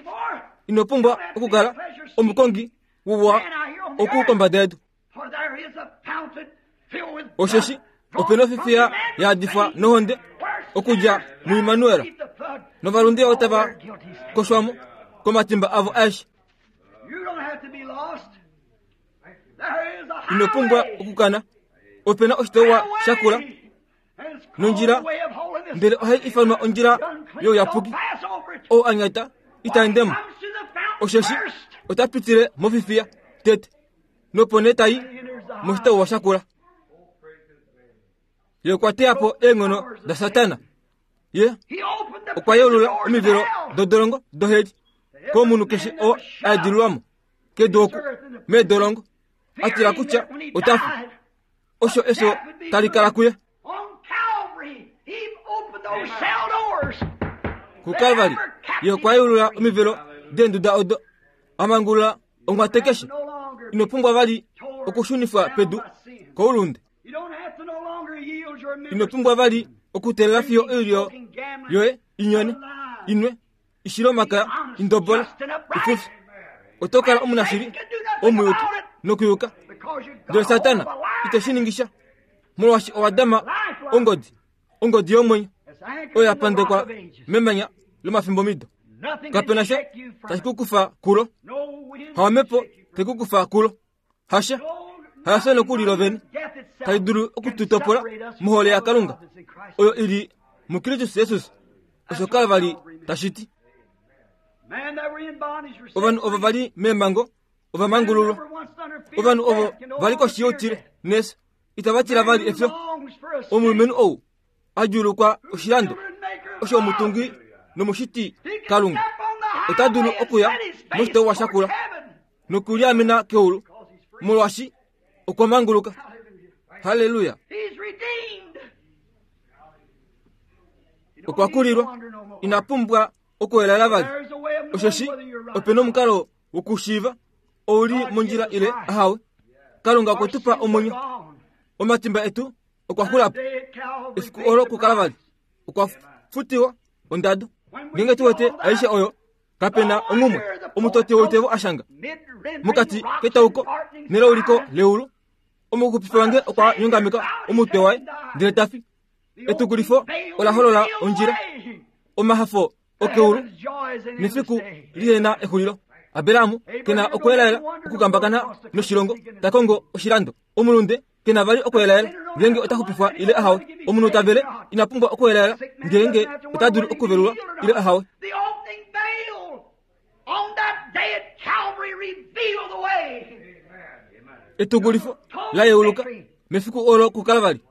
ino pumbwa okukala omukongi wuwa oku kombada yedu. Osheshi opena ofifiya ya adifwa nohonde okudja muImmanuel, novalunde otava koshwamo komatimba avo aeshe. Ino pumbwa okukana, opena oshitauwa shakula nondjila, ndele ohai ifanwa ondjila youyapuki. Ou a nyata ita endemo, osheshi ota pitile mofifiya tete, nopo nee tai moshitauwa shakula. Ye okwa teya po eenghono daSatana. Ye okwa yeulula omivelo dodolongo doheli komunhu keshe oo a edililwamo kedu oku meedolongo, a tila kutya ota fi. Osho efyo tali kala kuye. KuKalvari ye okwa yeulula omivelo deenduda odo, a mangulula onghwate keshe. Ino pumbwa vali okushunifwa pedu koulunde. Ino pumbwa vali okuteelela fiyo oilyo yoye inyone, inwe, ishile omakaya, indobole, ifufi. Oto kala omunashili, omuyuki nokuyuka. Ndele Satana ite shi ningisha, molwaashi owa dama ongodi, ongodi yomwenyo oyo ya pandekwa memanya lomafimbomido. Kapena sha tashi ku kufa kulo, hawamepo te ku kufa kulo, hasha hafye nokuli lovene tali dulu okututopola mohole yaKalunga oyo ili muKristus Jesus. Osho Kalvari tashi ti. Ovanhu ovo vali meemhango ova mangululwa. Ovanhu ovo vali koshi youtile nefyo itava tila vali efyo. Omulumenhu ou a djuulukwa oshilando osho omutungi nomushiti Kalunga ota dulu okuya moshitauwa shakula nokuliamena keulu, molwaashi okwa manguluka. Haleluya! Okwa kulilwa, ina pumbwa okuelaela vali, osheshi opena omukalo wokushiiva ou li mondjila ile ahawe. Kalunga okwe tu pa omwenyo, omatimba etu okwa xula po. Efiku olo kuKalvari okwa futiwa ondado. Ngeenge tu wete aishe oyo, kapena onghumwe omutoti woitevo a shanga mokati ketauko nelauliko leulu. Omuxupifi wange okwa nyongameka omutwe waye ndele ta fi. Etukulifo ola holola ondjila, omahafo okeulu nefiku lihena exulilo. Abraham kena okuelaela okukambakana noshilongo ta kongo oshilando. Omulunde kena vali okuelaela ngeenge ota xupifwa ile ahawe. Omunhu ta vele ina pumbwa okuelaela ngeenge ota dulu okuvelulwa ile ahawe. Etukulifo la yeuluka Mefiku olo kuKalvari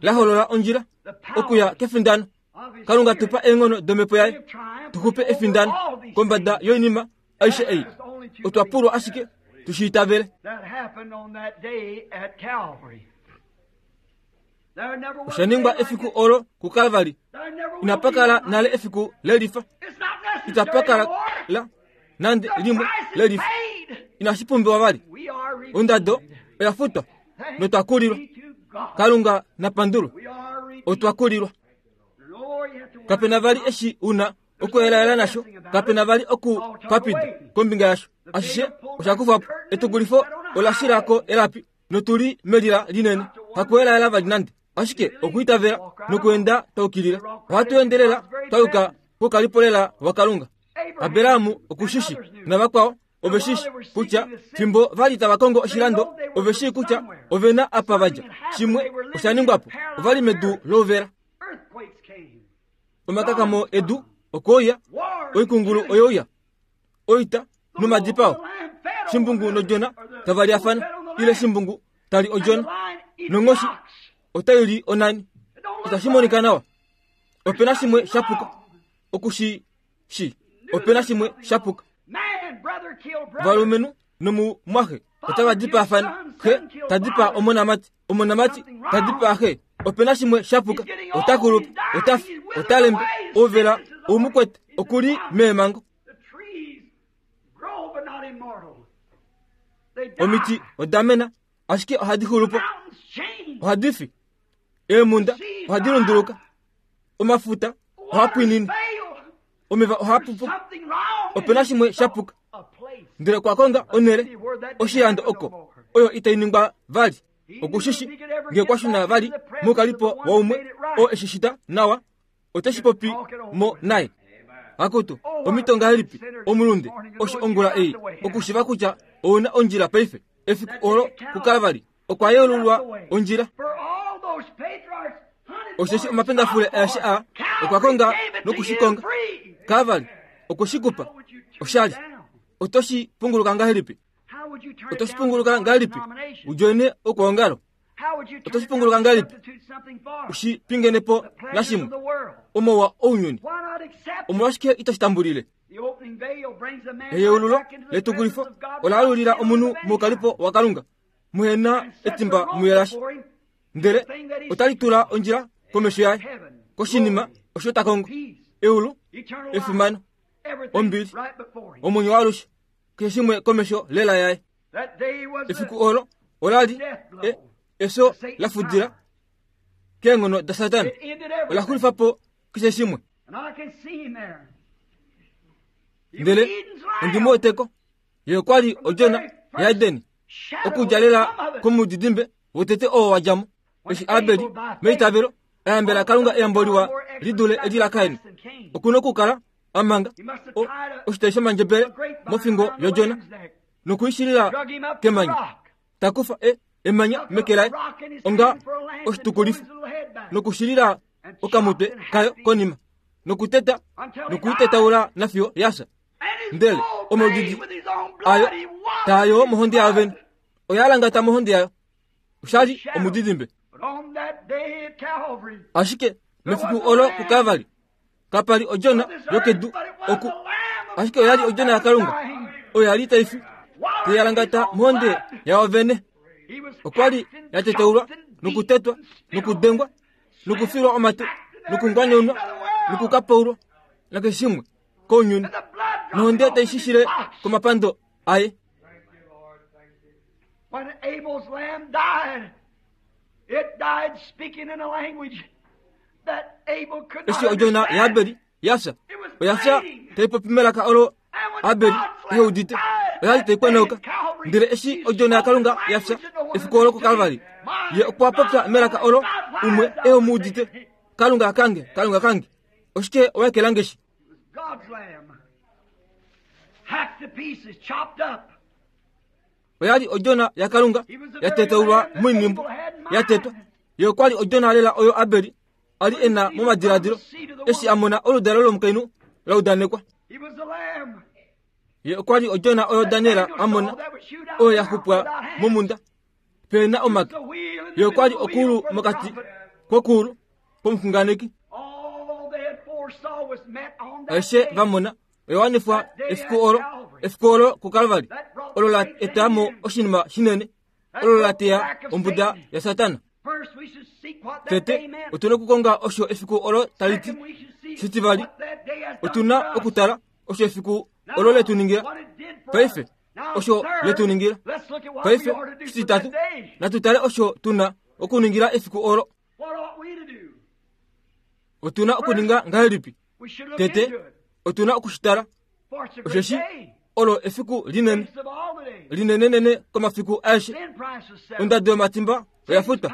la holola ondjila okuya kefindano. Kalunga tupa eenghono domhepo yaye tuxupe efindano kombada yoinima aishe ei. Otwa pulwa ashike tushiitavele. Osha ningwa efiku olo kuKalvari. Inapakala nale efiku lelifa. Itapakala la nande limwe lelifa. Inashi pumbiwa vali. Ondado oya futwa notwa kulilwa. Kalunga napandulwe. Otwa kulilwa. Kapena vali eshi una okuelaela nasho. Kapena vali oku papida kombinga yasho. Ashishe oshakufapo. Etukulifo olashilako elapi notuli melila linene. Hakuelaela vali nande. Ashike okuitavela nokuenda taukilila. Ohatu endelela tauka kokalipolela waKalunga. Abrahamu okushishi navakwao oveshishi kutya fimbo vali tava kongo oshilando oveshi kutya ovena apa vadja. Shimwe oshaningwapo ovali medu louvela. Omakakamo edu okoya oikungulu oyoya oita nomadipao. Shimbungu nodjona tava liafana ile shimbungu tali odjona nonghoshi otaili onani. Itashi monika nawa. Opena shimwe shapuka okushi shi. Opena shimwe shapuka. Valumenhu nomumwaxe otava dipaafana. Xe tadipaa omonamati, omonamati tadipaa xe. Opena shimwe shapuka. Otakulupa, otafi, otalembe, ouvela oumukwete okuli meemango. Omiti odamena ashike ohadi xulupo, ohadi fi. Eemhunda ohadi lunduluka, omafuta ohaa pwinine, omeva ohaa pupu. Opena shimwe shapuka. Ndele okwa konga onhele oshilando oko oyo itai ningwa vali. Okushishi ngee kwashuna vali moukalipo waumwe oo eshishita nawa oteshi popi mo naye. Akutu omito ngahelipi omulunde osho ongula ei okushiva kutya ouna ondjila paife. Efiku olo kuKalvari okwa yeululwa ondjila. Osheshi omapendafule aeshe a okwa konga nokushikonga. Kalvari okweshikupa oshali. Otoshi punguluka ngahelipi? Otoshi punguluka ngahelipi udjoine okwoongalo? Otoshi punguluka ngahelipi ushi pingenepo nashimwe omauwa ounyuni? Omolwashike itoshi tambulile? Eyeululo letukulifo ola alulila omunhu moukalipo waKalunga muhena etimba muyelasha. Ndele otali tula ondjila komesho yaye koshinima osho ta kongo. Eulu, efimano, ombili, omwenyo waalushe, keshe shimwe komesho lela yaye. Efiku olo olali e, efyo la fudila keenghono daSatana. Ola xulifa po keshe shimwe. Ndele ondi mu weteko. Ye okwa li odjona yaEdeni okudja lela komudidimbe wotete oo wa dja mo. Eshi Abeli meitavelo ayambela Kalunga eyambo liwa li dule eli laKain, okuna okukala amanga oshitai shomandjebele mofingo yodjona nokuishilila kemanya. Takufa e emanya meke laye onga oshitukulifo nokushilila okamutwe kayo konima nokuteta nokuitetaula nafiyo yasha. Ndele omaudidi ayo taayo mohonde yayo vene oya langata mohonde yayo. Oshali omudidimbe. Ashike mefiku olo kuKalvari kapali odjona yokedu oku, ashike oyali odjona yaKalunga oyo yali tai fi teyalangata mohonde yayo vene. Okwali yateteulwa nokutetwa nokudengwa nokufilwa omate nokungwanyaunwa nokukapaulwa nakeshe shimwe kounyuni nohonde tai shishile komapando aye. When Abel's lamb died, it died speaking in a language that Abel could not Eshi odjona understand. yaAbeli yafya oyafya tai popi melaka olo Abeli ehe udite. Oyali tai kweneuka. Ndele eshi odjona yaKalunga yafya efiku olo kuKalvari, ye okwa popya melaka olo umwe ehe mu udite. Kalunga kange, Kalunga kange, oshike owaekelange shi? God's lamb, hacked to pieces, chopped up. Oyali odjona yaKalunga yateteulwa moinhimbu yatetwa. Ye okwali odjona lela oyo Abeli ali ena momadiladilo eshi a mona oludalo lomukainhu la udanekwa. He was the lamb. Ye okwali odjona oyo Daniel a mona oyo ya xupwa momunda pena omake. Ye okwa li okuulu mokati kwokuulu kwomuxunganeki. Aishe va mona oya wanifwa efiku olo, efiku olo kuKalvari, olo la eta mo oshinima shinene, olo la teya ombuda yaSatana. Tete otu na okukonga osho efiku olo tali ti. Shitivali, otu na okutala osho efiku olo letu ningila. Paife osho letu ningila. Paife shititatu, natu tale osho tu na okuningila efiku olo. Otu na okuninga ngahelipi? Tete otu na okushitala, osheshi olo efiku linene, linenenene komafiku aeshe. Ondado yomatimba oya futwa,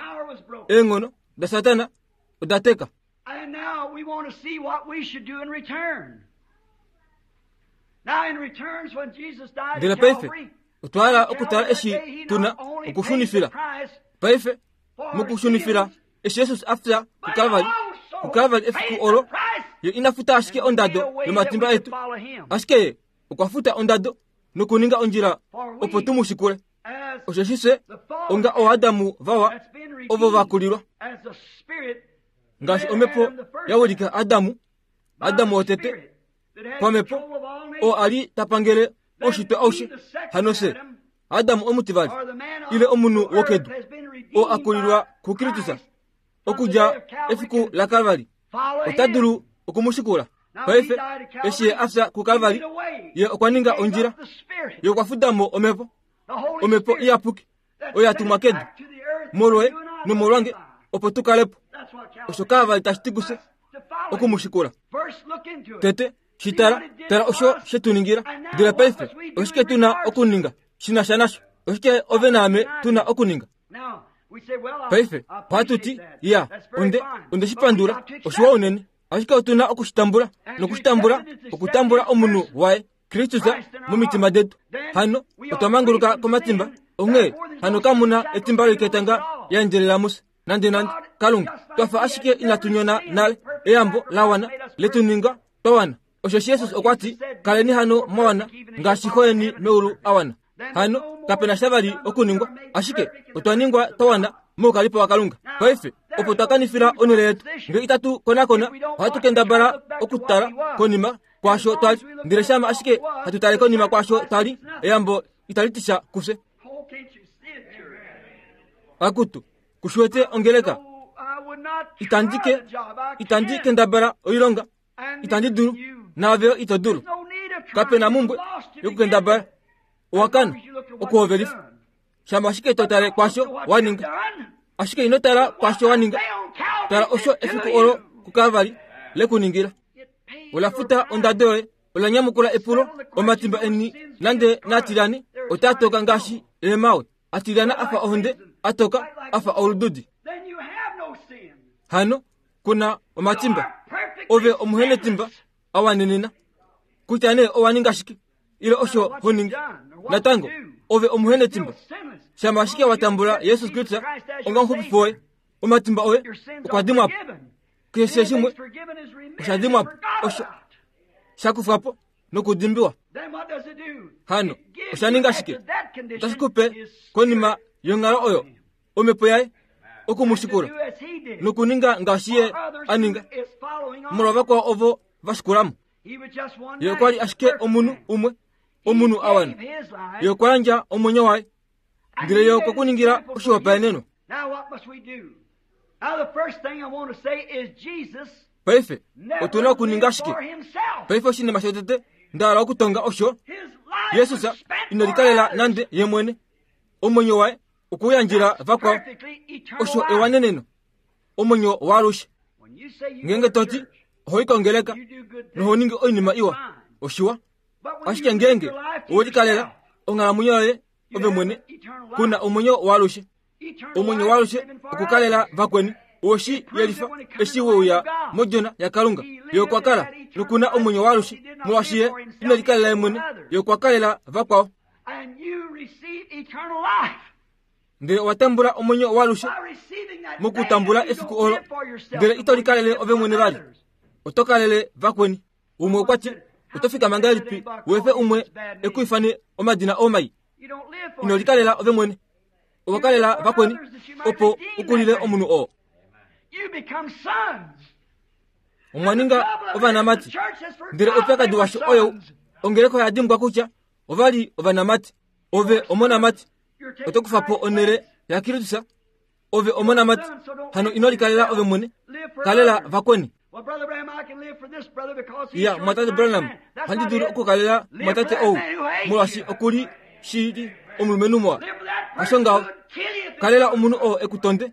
eenghono daSatana oda teka. And now we want to see what we should do in return. Now in returns, when Jesus died Ndele at paife Calvary, otwa hala okutala eshi tu na okushunifila. Paife mokushunifila, eshi Jesus a fya kuKalvari, kuKalvari efiku olo, ye ina futa ashike ondado yomatimba etu, ashike ye okwa futa ondado nokuninga ondjila opo tu mu shikule. Osheshi fye onga ooAdamu vawa ovo va kulilwa, ngaashi omhepo ya wilika Adamu, Adamu wotete pamhepo oo a li ta pangele oushitwe aushe, hano fye Adamu omutivali, ile omunhu wokedu oo a kulilwa kuKristus okudja efiku laKalvari, ota dulu okumushikula. Paife eshi ye a fya kuKalvari, ye okwa ninga ondjila, ye okwa fuda mo omhepo, omhepo iyapuki oyo ya tumwa kedu molwoye nomolwange opo tu kale po. Osho Kalvari tashi ti kufye okumushikula. Tete shitala, tala osho she tu ningila. Ndele paife oshike tu na okuninga shi na sha nasho? Oshike ove naame tu na okuninga? Paife ohatu ti, ya, onde onde shi pandula, oshiwa unene. Ashike otu na okushitambula, nokushitambula, okutambula omunhu waye Kristus momitima detu. Hano otwa manguluka komatimba, onghee hano kamu na etimba loiketanga ya endjelela mufye nande nande. Kalunga, twafa ashike inatu nyona nale, eyambo la wana letu ninga twa wana. Osheshi Jesus okwa ti, kaleni hano mwa wana ngaashi Xo yeni meulu a wana. Hano kapena sha vali okuningwa, ashike otwa ningwa twa wana moukalipo waKalunga. Paife opo twa kanifila onhele yetu, ngee itatu konakona, ohatu kendabala okutala konima kwaasho twali, ndele shama ashike hatu tale konima kwaasho twali, eyambo itali ti sha kufye. Akutu, kushiwete ongeleka, itandi ke itandi kendabala oilonga, itandi dulu, naave ito dulu. Kapena mumbwe yokukendabala, owakana okuhovelifa. Shama ashike to tale kwaasho wa ninga, ashike ino tala kwaasho wa ninga, tala osho efiku olo kuKalvari lekuningila. Ola futa ondado yoye, ola nyamukula epulo, omatimba eni nande naatilane otaa toka ngaashi eemawe, atilyana afa ohonde, atoka afa olududi. Hano kuna omatimba, ove omuhenetimba awanenena, kutya nee owa ninga shike ile osho ho ningi, natango ove omuhenetimba. Shama ashike wa tambula Jesus Kristus onga omuxupifi woye, omatimba oye okwa dimwa po. Keshe shimwe osha dimwa po, osho sha kufwa po nokudimbiwa. Hano osha ninga shike? Otashi kupe konima yonghalo oyo omhepo yaye okumushikula nokuninga ngaashi ye a ninga molwa vakwao ovo va shikulamo. Ye okwa li ashike omunhu umwe, omunhu a wana. Ye okwa yandja omwenyo waye, ndele ye okwe ku ningila oshihopaenenwa. Paife otu na okuninga shike? Paife oshinima shotete nda hala okutonga osho, Jesus ine likalela nande ye mwene. Omwenyo waye okuyandjila vakwao, osho ewaneneno, omwenyo waalushe. Ngeenge to ti oho i kongeleka noho ningi oinima iwa, oshiwa. Ashike ngeenge owe likalela onghalamwenyo yoye ove mwene, kuna omwenyo waalushe. Omwenyo waalushe okukalela vakweni. Oweshi yelifa eshi weuya modjona yaKalunga. Ye okwa kala nokuna omwenyo waalushe, molwaashi ye ine likalela ye mwene, ye okwa kalela vakwao. Ndele owa tambula omwenyo waalushe mokutambula efiku olo, ndele ito likalele ove mwene vali, oto kalele vakweni. Umwe okwa ti, oto fikama ngahelipi wefe umwe e ku ifane omadina oo mai? Ino likalela ove mwene, Owa kalela vakweni opo u kulile omunhu oo. Omwa ninga ovanamati. Ndele oupyakadi washo oyo ongeleka oya dimbwa kutya ova li ovanamati. Ove omonamati, oto kufa po onhele yaKristus. Ove omonamati, hano ino likalela ove mwene, kalela vakweni. Ya, mwatate Branham, ohandi dulu okukalela mwatate ou, molwaashi oku li shili omulumenhu muwa. Hasho ngaho, kalela omunhu oo e ku tonde,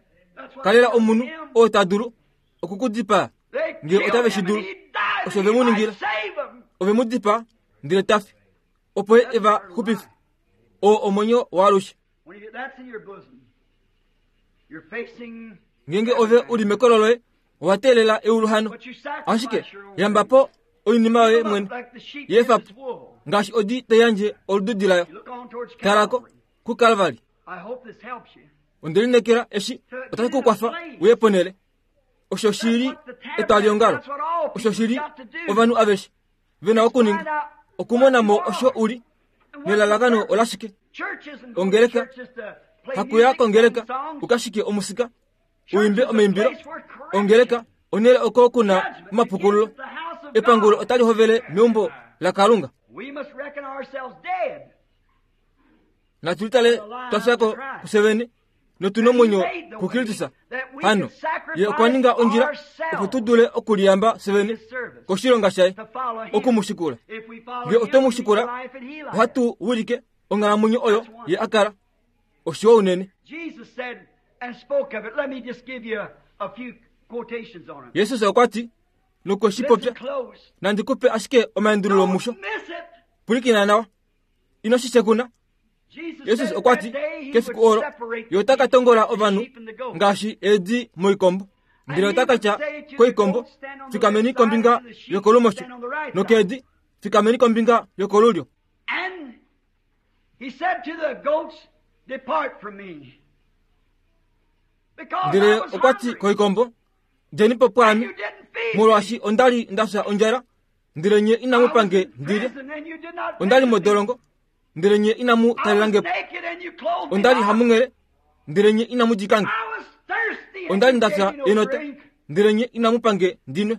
kalela omunhu oo ta dulu okukudipaa, ngee otave shi dulu. Osho ve mu ningila, ove mu dipaa ndele ta fi, opo ye e va xupife. Oo omwenyo waalushe. Ngeenge ove u li mekolo loye, owa teelela eulu hano. Ashike yamba po oinima yoye mwene, yeefa po, ngaashi odi tai yandje olududi layo. Talako kuKalvari. Onde lineekela eshi otashi ku kwafa uye ponhele. Osho shi li etwaliongalo, osho shi li ovanhu aveshe ve na okuninga, okumona mo osho u li nelalakano olashike. Ongeleka hakuya kongeleka ukashike omusika uimbe omaimbilo. Ongeleka onhele oko kuna omapukululo. Epangulo otali hovele meumbo laKalunga. Natu litale twa fyako kusevene notu nomwenyo kuKristus. Hano ye okwa ninga ondjila opo tu dule okuliyamba sevene koshilonga shaye, oku mu shikula. Ngee otwe mu shikula, ohatu wilike onghalamwenyo oyo ye a kala. Oshiwa unene. Jesus okwa ti, nokwe shi popya, nandi kupe ashike omaendululo musho. Pwilikina nawa, ino shi shekuna. Jesus okwa ti, kefiku olo ye ota ka tongola ovanhu ngaashi eedi moikombo. Ndele ota ka tya koikombo, fikameni kombinga yokolumosho, nokeedi, fikameni kombinga yokolulyo. Ndele okwa ti koikombo, djeni po pwaame, molwaashi onda li nda fya ondjala, ndele nye inamu pange ndilye. Onda li modolongo, ndele nye inamu talelange po. Onda li hamunghele, ndele nye inamu dikange. Onda li nda fya enota, ndele nye inamu pange ndinwe.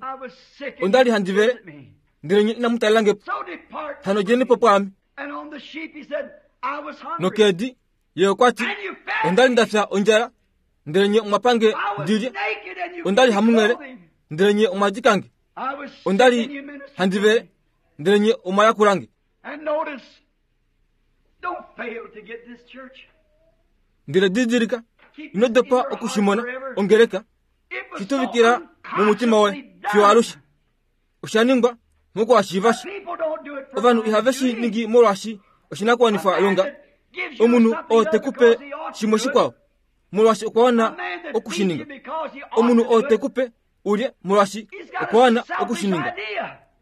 Onda li handi vele, ndele nye inamu talelange po. Hano djeni po pwaame. Nokeedi ye okwa ti, onda li nda fya ondjala, ndele nye omwa pange ndilye. Onda li hamunghele, ndele nye omwa dikange. Onda li handi vele, ndele nye omwa yakulange. Ndele didilika, ino dopa okushimona ongeleka, shituvikila momutima woye fiyo alushe. Osha ningwa mokuhashiiva shi. Ovanhu ihave shi ningi molwaashi oshinakuwanifwa longa. Omunhu oo te kupe shimwe shikwao molwaashi okwa wana okushininga. Omunhu oo te kupe ulye molwaashi okwa wana okushininga.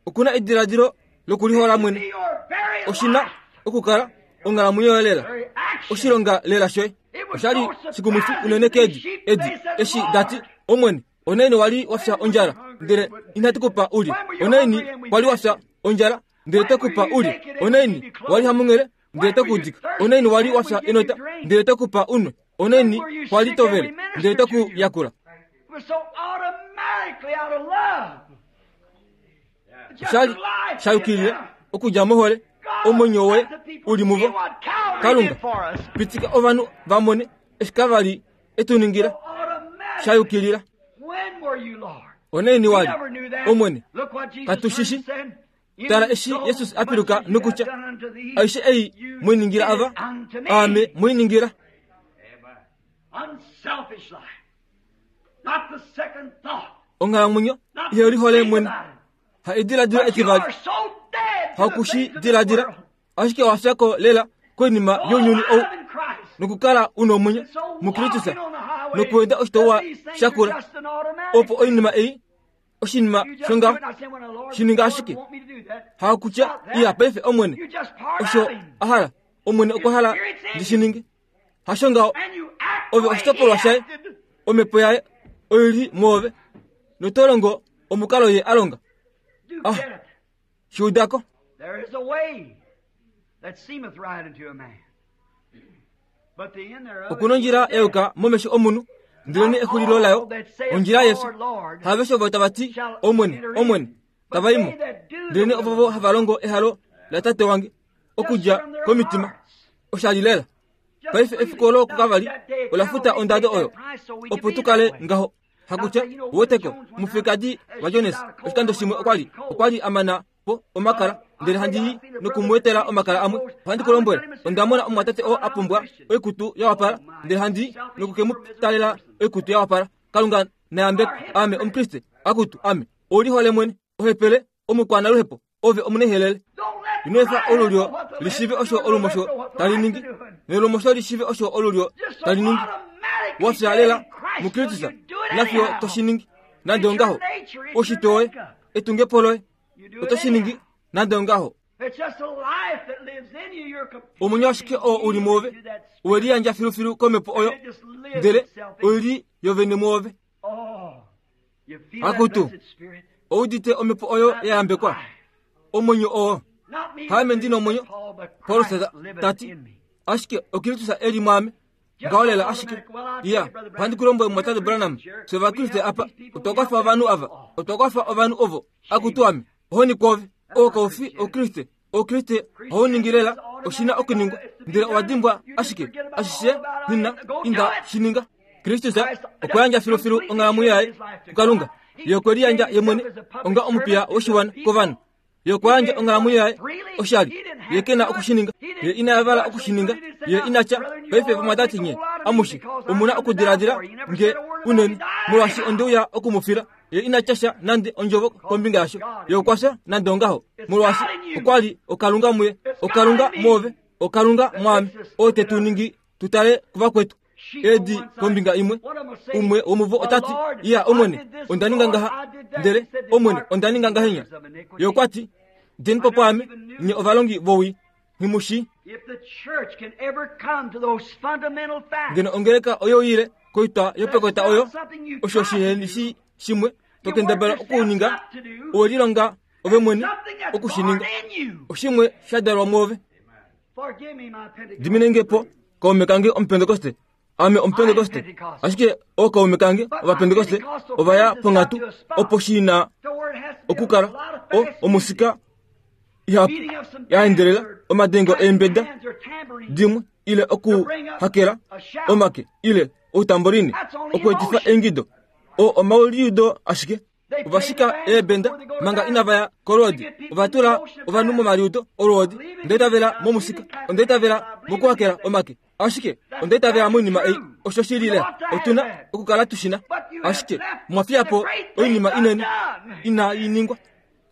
Okuna ediladilo lokulihola mwene. Oshina okukala onghalamwenyo yoye lela, oshilonga lela shoye. Osha li shikumwifi unene keedi edi eshi dati, Omwene, onaini wali wa fya ondjala ndele inatu kupa ulye? Onaini wali wa fya ondjala ndele twe kupa ulye? Onaini wali hamunghele ndele twe ku dika? Onaini wali wa fya enota ndele twe kupa unwe? Onaini wali tovele ndele twe ku yakula? Osha li sha yukilile okudja mohole omwenyo woye u li muvo. Kalunga, pitika ovanhu va mone eshi kava li e tu ningila. Sha yukilila. Onaini wali, Omwene, katu shi shi. Tala eshi Jesus a piluka nokutya, aishe ei mwiningila ava, aame mwiningila. Onghalamwenyo ihe lihole mwene, ha ediladilo etivali, hakushi diladila, ashike owa fyako lela koinima younyuni ou, nokukala u nomwenyo muKristus, nokuenda oshitauwa shakula, opo oinima ei oshinima shongaho shininga ashike. Hakutya iya paife Omwene osho a hala, Omwene okwa hala ndi shi ninge. Hasho ngaho, ove oshitopolwa shaye, omhepo yaye oi li mwoove, noto longo omukalo ye a longa. Ah, shi uda ko. Okuna ondjila ya yuka momesho omunhu, ndelene exulilo layo ondjila yefyo. Haveshe ovo tava ti Omwene, Omwene, tava i mo, ndelene ovovo hava longo ehalo laTate wange okudja komitima. Osha li lela. Paife efiku olo kukavali ola futa ondado oyo opo tu kale ngaho. Hakutya woteko mufekadi waJones oshikando shimwe okwa li okwa li a mana po omakala, ndele handi i nokumuetela omakala amwe. Ohandi ku lombwele, onda mona omumwatate oo a pumbwa oikutu ya wapala, ndele handi i noku ke mu talela oikutu ya wapala. Kalunga nayambeko, ame Omukriste, akutu ame oulihole mwene, ohepele, omukwanaluhepo, ove omunehelele. Ino efa olulyo lishive osho olumosho tali ningi, nelumosho lishive osho olulyo tali ningi. Wafya lela muKristus, nafyo toshi ningi nande ongaho. Oshitwe woye, etungepo loye, otoshi ningi nande ongaho. Omwenyo ashike oo uli mwoove owe liyandja filufilu komhepo oyo, ndele oili yovene mwoove. Akutu, oudite omhepo oyo ya yambekwa, omwenyo oo. Haame ndi nomwenyo, Paulus tati, ashike oKristus e li mwaame. Ngaho lela ashike. Iya, ohandi ku lombwele mumwatate Branham, fye Ovakriste apa, otwa kwafa ovanhu ava, otwa kwafa ovanhu ovo. Akutu ame, ohoni kwoove. Oo kau fi Oukriste. Oukriste ohau ningi lela oshina okuningwa, ndele owa dimbwa ashike ashishe nina inda shi ninga. Kristus okwa yandja filufilu onghalamwenyo yaye kuKalunga. Ye okwe liyandja ye mwene onga omupiya woshiwana kovanhu. Ye okwa yandja onghalamwenyo yaye oshali. Ye ke na okushininga. Ye ina yavala okushininga. Ye ina tya, paife vamwatate nye amushe omuna okudiladila nge unene, molwaashi onde uya okumufila. Ye ina tya sha nande ondjovo kombinga yasho. Ye okwa fya nande ongaho, molwaashi okwa li okalunga muye, okalunga mwoove, okalunga mwaame, oo te tu ningi tu tale kuvakwetu. Edi kombinga imwe, umwe womuvo ota ti, iya Omwene, onda ninga ngaha, ndele Omwene, onda ninga ngahenya. Ye okwa ti, deni po pwaame, nye ovalongi vowii, nghimushi. Ngeno ongeleka oyo ile koitwa yopekota oyo, osho shiheni shi shimwe to kendabala okuninga, owe lilonga ove mwene okushininga. Oshimwe sha dalwa mwoove. Dimine nge po, kaume kange Omupentekoste. Ame Omupentekoste. Ashike ookaume kange Ovapentekoste ova ya ponghatu opo shi na okukala o omusika ihapu ya endelela, omadengo eembeda dimwe, ile okuhakela omake, ile outamboline, okuetifa eingido. O omauliudo ashike. Ova shika eebenda manga inava ya kolwoodi. Ova tula ovanhu momaliudo olwoodi. Onda itavela momusika, onda itavela mokuhakela omake, ashike onda itavela moinima ei. Osho shi li lela, otu na okukala tu shi na. Ashike mwa fiya po oinima inene inai ningwa.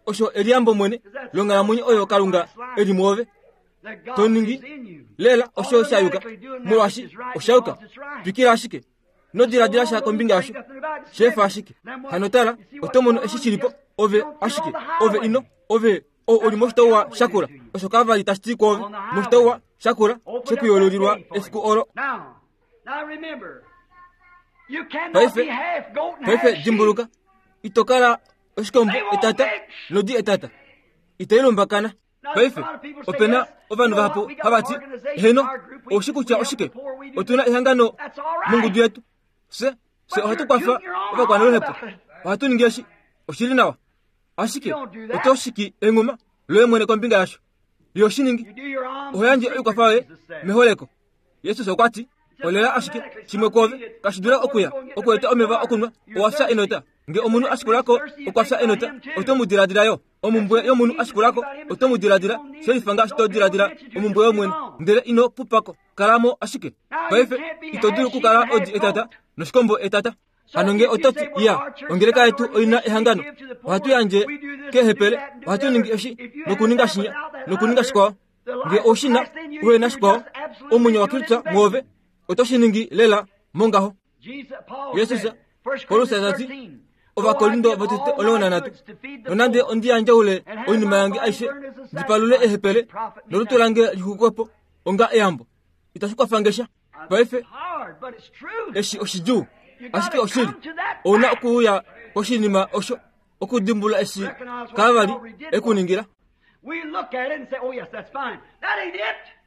Osho eliyambo mwene longhalamwenyo oyo Kalunga e li mwoove. To ningi lela osho sha yuka, molwaashi osha yuka. Twikila ashike, ino diladila sha kombinga yasho, shefa ashike. Hano tala, oto mono eshi shili po. Ove ashike, ove ino, ove oo uli moshitauwa shakula. Osho kavali tashi ti kwoove, moshitauwa shakula shekuyoololilwa efiku olo. Paife, paife dimbuluka, ito kala oshikombo etata nodi etata. Ito ilumbakana. Paife, ope na ovanhu vahapu hava ti, heno, oushi kutya oshike? Otu na ehangano mongudu yetu. Fye, fye ohatu kwafa ovakwanaluhepo. Ohatu ningi eshi. Oshili nawa. Ashike, oto shiki enghuma loye mwene kombinga yasho. Yo shi ningi. Oho yandje oikwafa yoye meholeko. Jesus okwa ti, olela ashike shimwe kwoove kashi dula okuya okueta omeva okunwa, owa fya enota. Nge omunhu a shikulako okwa fya enota, oto mu diladila yo. Omumbwe yomunhu a shikulako oto mu diladila, shelifa ngaashi to diladila omumbwe yomwene, ndele ino pupako, kalamo ashike. Paife ito dulu okukala odi etata noshikombo etata. Hano nge oto ti, iya, ongeleka yetu oina ehangano, ohatu yandje keehepele, ohatu ningi eshi nokuninga shinya nokuninga shikwao. Nge oushina uhe na shikwao, omwenyo waKristus mwoove, oto shi ningi lela mongaho. Jesus, Paulus ta ti, Ovakorinto votete omulongo nanhatu, nonande ondi yandjaule oinima yange aishe ndi palule ehepele nolutu lange lixukwe po onga eyambo, itashi kwafa nge sha. Paife eshi oshidjuu, ashike oshili, ouna okuuya koshinima osho okudimbulula eshi Kalvari ekuningila.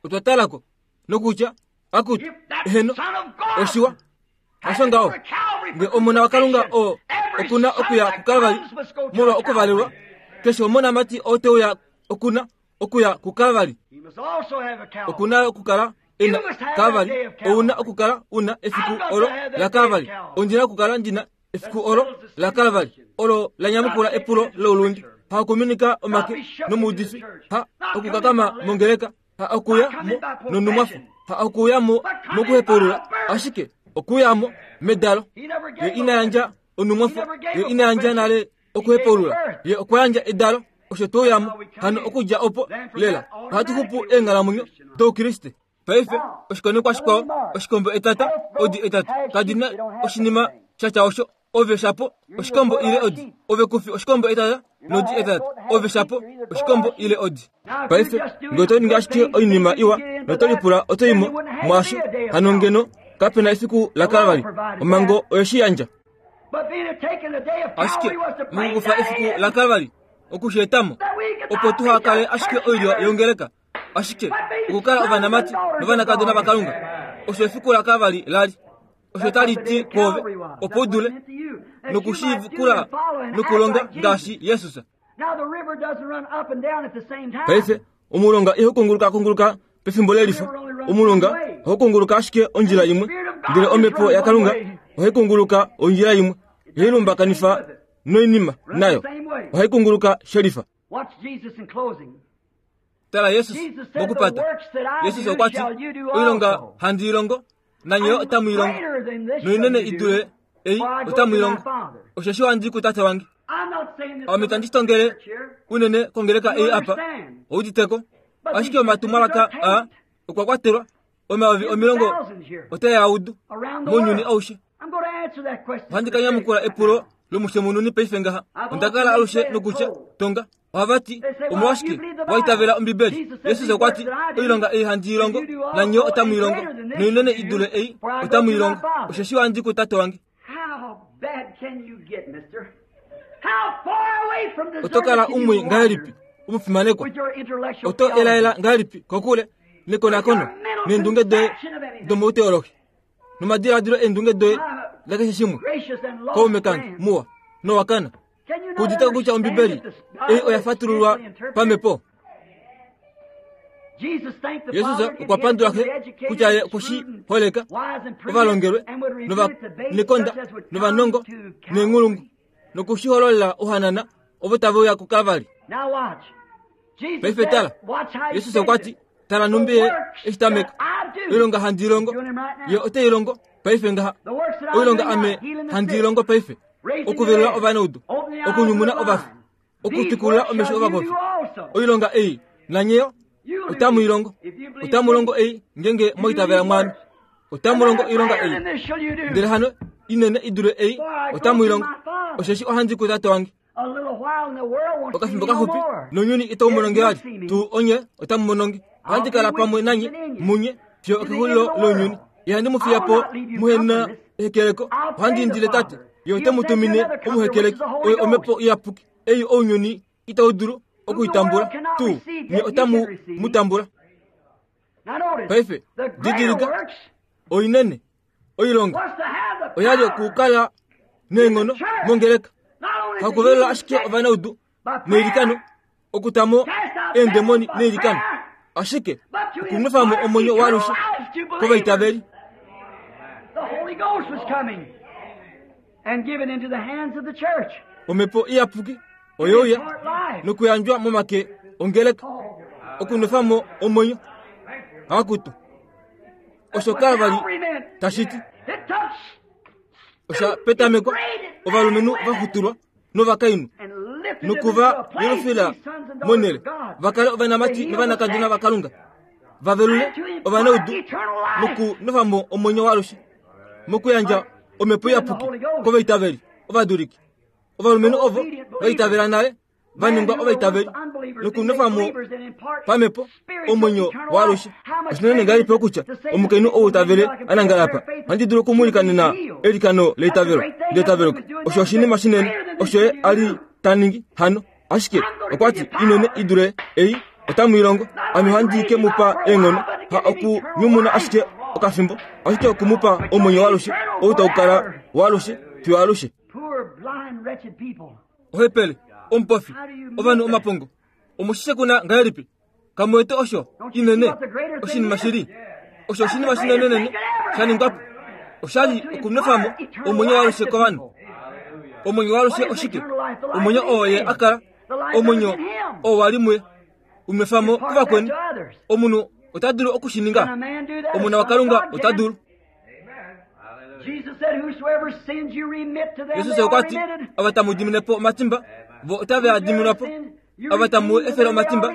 Otwa talako nokutya, Akutu, eheno, oshiwa. Hasho ngaho. Nge omona waKalunga o okuna okuya kuKalvari molwa okuvalelwa. Keshe omonamati oteuya okuna okuya kuKalvari. Okuna okukala ena Kalvari. Ouna okukala una efiku olo la Kalvari. Ondina okukala ndina efiku olo la Kalvari. Olo la nyamukula epulo loulundi. Ha okuminika omake nomuudifi. Ha okukakama mongeleka. Ha okuya mo nonumwafo. Ha okuya mo mokuhepulula. Ashike okuya mo medalo. Ye ina yandja onumwafo. Ye ina yandja nale okuhepulula. Ye okwa yandja edalo. Osho touyamo hano okudja opo lela. Ohatu xupu eenghalamwenyo doukriste. Paife oshikonekwa shikwao oshikombo etata odi etatu kadina oshinima shatya osho. Ove shapo oshikombo ile odi. Ove kufi oshikombo etata nodi etata. Ove shapo oshikombo ile odi. Paife ngee oto ningi ashike oinima iwa noto lipula oto imo mwaasho hano ngeno kapena efiku la Kalvari. Omhango oye shi yandja. Ashike mokukufa efiku la Kalvari okusheetamo opo tuhakale ashike oilyo yongeleka, ashike okukala ovanamati novanakadona vaKalunga. Osho efiku la Kalvari lali. Osho tali ti kwoove opo u dule nokushikula nokulonga ngaashi Jesus. Paife omulonga ihau kunguluka kunguluka pefimbo lelifa. Omulonga ohau kunguluka ashike ondjila imwe, ndele omhepo yaKalunga ohai kunguluka ondjila imwe. Ihai lumbakanifa noinima nayo. Ohai kunguluka shelifa. Tala Jesus mokupata. Jesus okwa ti, oilonga handi ilongo, nanye otamu ilongo. Noinene idule ei otamu ilongo. Osheshi ohandi kutate wange. Ame tandi tongele unene kongeleka ei apa. Ouditeko. Ashike omatumwalaka a okwa kwatelwa omayovi omilongo otayaudu mounyuni aushe. Ohandi ka nyamukula epulo lomushemununi paife ngaha. Onda kala alushe nokutya tonga. Ohava ti omolwashike waitavela Ombibeli. Jesus okwa ti oilonga ei handi ilongo nanye otamu ilongo. Noinene idule ei otamu ilongo. Osheshi ohandi kutate wange. Oto kala umwe ngahelipi omufimanekwa? Oto elaela ngahelipi kokule nekonakono neendunge doye domouteologi nomadiladilo eendunge doye lakeshe shimwe? Kaume kange muwa nowakana kuditeko kutya Ombibeli ei oya fatululwa pamhepo. Jesus okwa pandula xe kutya ye okushi holeka ovalongelwe novanekonda novanongo neenghulungu nokushihololela ohanana ovo tava uya kuKalvari. Paife tala, Jesus okwa ti, tala numbi ye eshi tameka. Oilonga handi ilongo, ye ote ilongo paife ngaha. Oilonga ame handi ilongo paife, okuvelula ovanaudu, okunyumuna ovafi, okutwikulula omesho ovapofi. Oilonga ei nanyeyo otamu ilongo. Otamu longo ei ngenge moitavela mwami. Otamu longo oilonga ei. Ndele hano inene idule ei otamu ilongo. Osheshi ohandi kutate wange. Okafimbo kaxupi nounyuni itau mononge vali. Tuu onye otamu mononge. Ohandi kala pamwe nanye munye fiyo okexulilo lounyuni. Ihandi mu fiya po muhena ehekeleko. Ohandi indile Tate, ye ote mu tumine omuhekeleki, oye omhepo iyapuki ei ounyuni itau dulu okuitambula. Tuu nye otamu mu tambula. Paife didilika oinene oilonga oyali okukala neenghono mongeleka. Hakuvelula ashike ovanaudu neilikano, okutamo eendemoni neilikano, ashike okunwefamo omwenyo waalushe kovaitaveli. Omhepo iyapuki oyeuya nokuyandjwa momake ongeleka okunwefamo omwenyo. Akutu osho Kalvari tashiti. Osha petamekwa ovalumenhu vaxutulwa novakainhu nokuva yelufila monhele vakale ovanamati novanakadona vaKalunga, vavelule ovanaudu nokunwefamo omwenyo waalushe mokuyandja omhepo iyapuki kovaitaveli ovaduliki. Ovalumenhu ovo vaitavela nale vaningwa ovaitaveli nokunwefamo pamhepo omwenyo waalushe. Oshinene ngahelipi okutya omukainhu ou tavele anangala apa, ohandi dulu okumulikanena elikano leitavelo leitavelo. Osho oshinima shinene osho ye a li ta ningi hano. Ashike okwa ti inene idule ei otamu ilongo. Ame ohandi ke mu pa eenghono, ha okunyumuna ashike okafimbo, ashike okumupa omwenyo waalushe ou tau kala waalushe fiyo alushe. Ohepele, omupofi, ovanhu omapongo, omushishe kuna ngahelipi? Kamuwete osho inene oshinima shili, osho oshinima shinenenene sha ningwapo. Oshali okunwefamo omwenyo waalushe kovanhu. Omwenyo waalushe oshike? Omwenyo oo ye akala, omwenyo oo wali muye, unwefamo kuvakweni. Omunhu ota dulu okushininga. Omuna waKalunga ota dulu. Jesus okwa ti, ava tamu dimine po omatimba, vo otave a diminwa po. Ava tamu efele omatimba,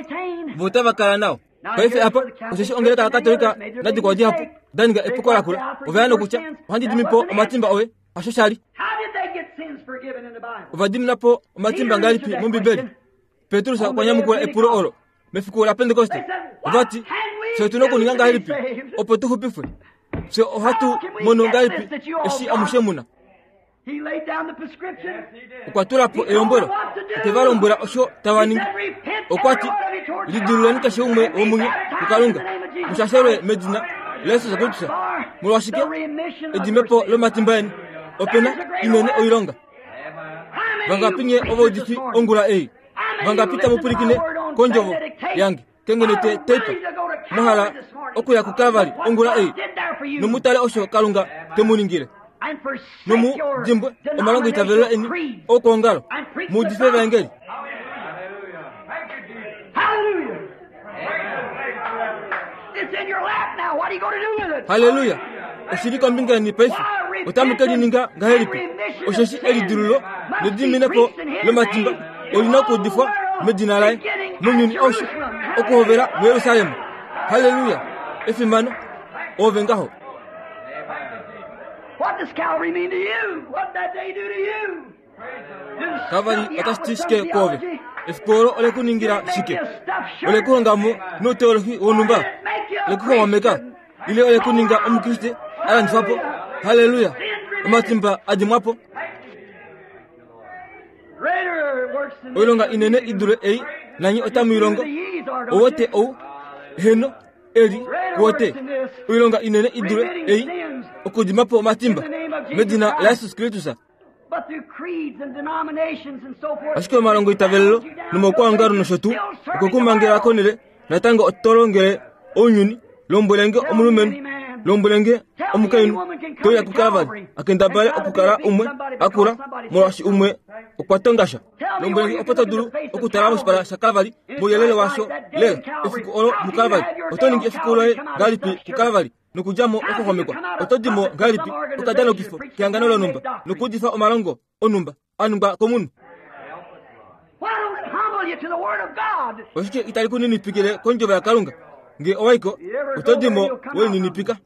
vo otava kala nao. Paife apa, osheshi ongeleka yaKatolika nadikwao dihapu da ninga epuko lakula, ova ya nokutya, ohandi dimi po omatimba oye, hasho shali. Ova dimina po omatimba ngahelipi mOmbibeli? Petrus okwa nyamukula epulo olo mefiku la Pentekoste. Ova ti, fye otu na okuninga ngahelipi opo tu xupifwe? Fye ohatu mono ngahelipi eshi amushe muna? Okwa tula po elombwelo, okwe va lombwela osho tava ningi. Okwa ti, lidiluleni keshe umwe womunye kuKalunga, mushashelwe medina laJesus Kristus. Molwashike? Edimepo lomatimba eni. Opena inene oilonga. Vangapi nye ovaudifi ongula ei? Vangapi tamu pwilikine kondjovo yange kengenete teipa? Mwahala okuya kuKalvari ongula ei, nomutale osho Kalunga temu ningile. Nomu dimbwe omalongo itavelo eni okuongalo, muudife evaengeli. Haleluya! Oshili kombinga yeni paife, otamu ke lininga ngahelipi? Osheshi elidululo nediminepo lomatimba olina okuudifwa medina laye mounyuni aushe, okuhovela muJerusalem. Haleluya! Efimano ove ngaho. Kalvari otashi ti shike kwoove? Efiku olo ole ku ningila shike? Ole ku hongamo nouteolohi wonhumba? Ole ku xwameka? Ile ole ku ninga Omukriste a landifwa po? Haleluya! Omatimba a dimwa po. Oilonga inene i dule ei nanye otamu i longo. Owote ou heno eli kuwote. Oilonga inene i dule ei okudima po omatimba medina laJesus Kristus. Ashike omalongo itavelelo nomaukwaongalo nosho tuu okwekumangela konele natango oto longele ounyuni. Lombwelenge omulumenhu, lombwelenge omukainhu, toya kuKalvari akendabale okukala umwe akula molwaashi umwe okwa tongasha. Lombwelenge opo to dulu okutala moshipala shaKalvari mouyelele washo lela efiku olo muKalvari. Oto ningi efiku loye ngahelipi kuKalvari nokudja mo okuxwamekwa? Oto di mo ngahelipi okadanokifo kehangano lonhumba nokuudifa omalongo onhumba a ningwa komunhu? Oshike itali ku ninipikile kondjovo yaKalunga? Nge owaiko, oto di mo weninipika.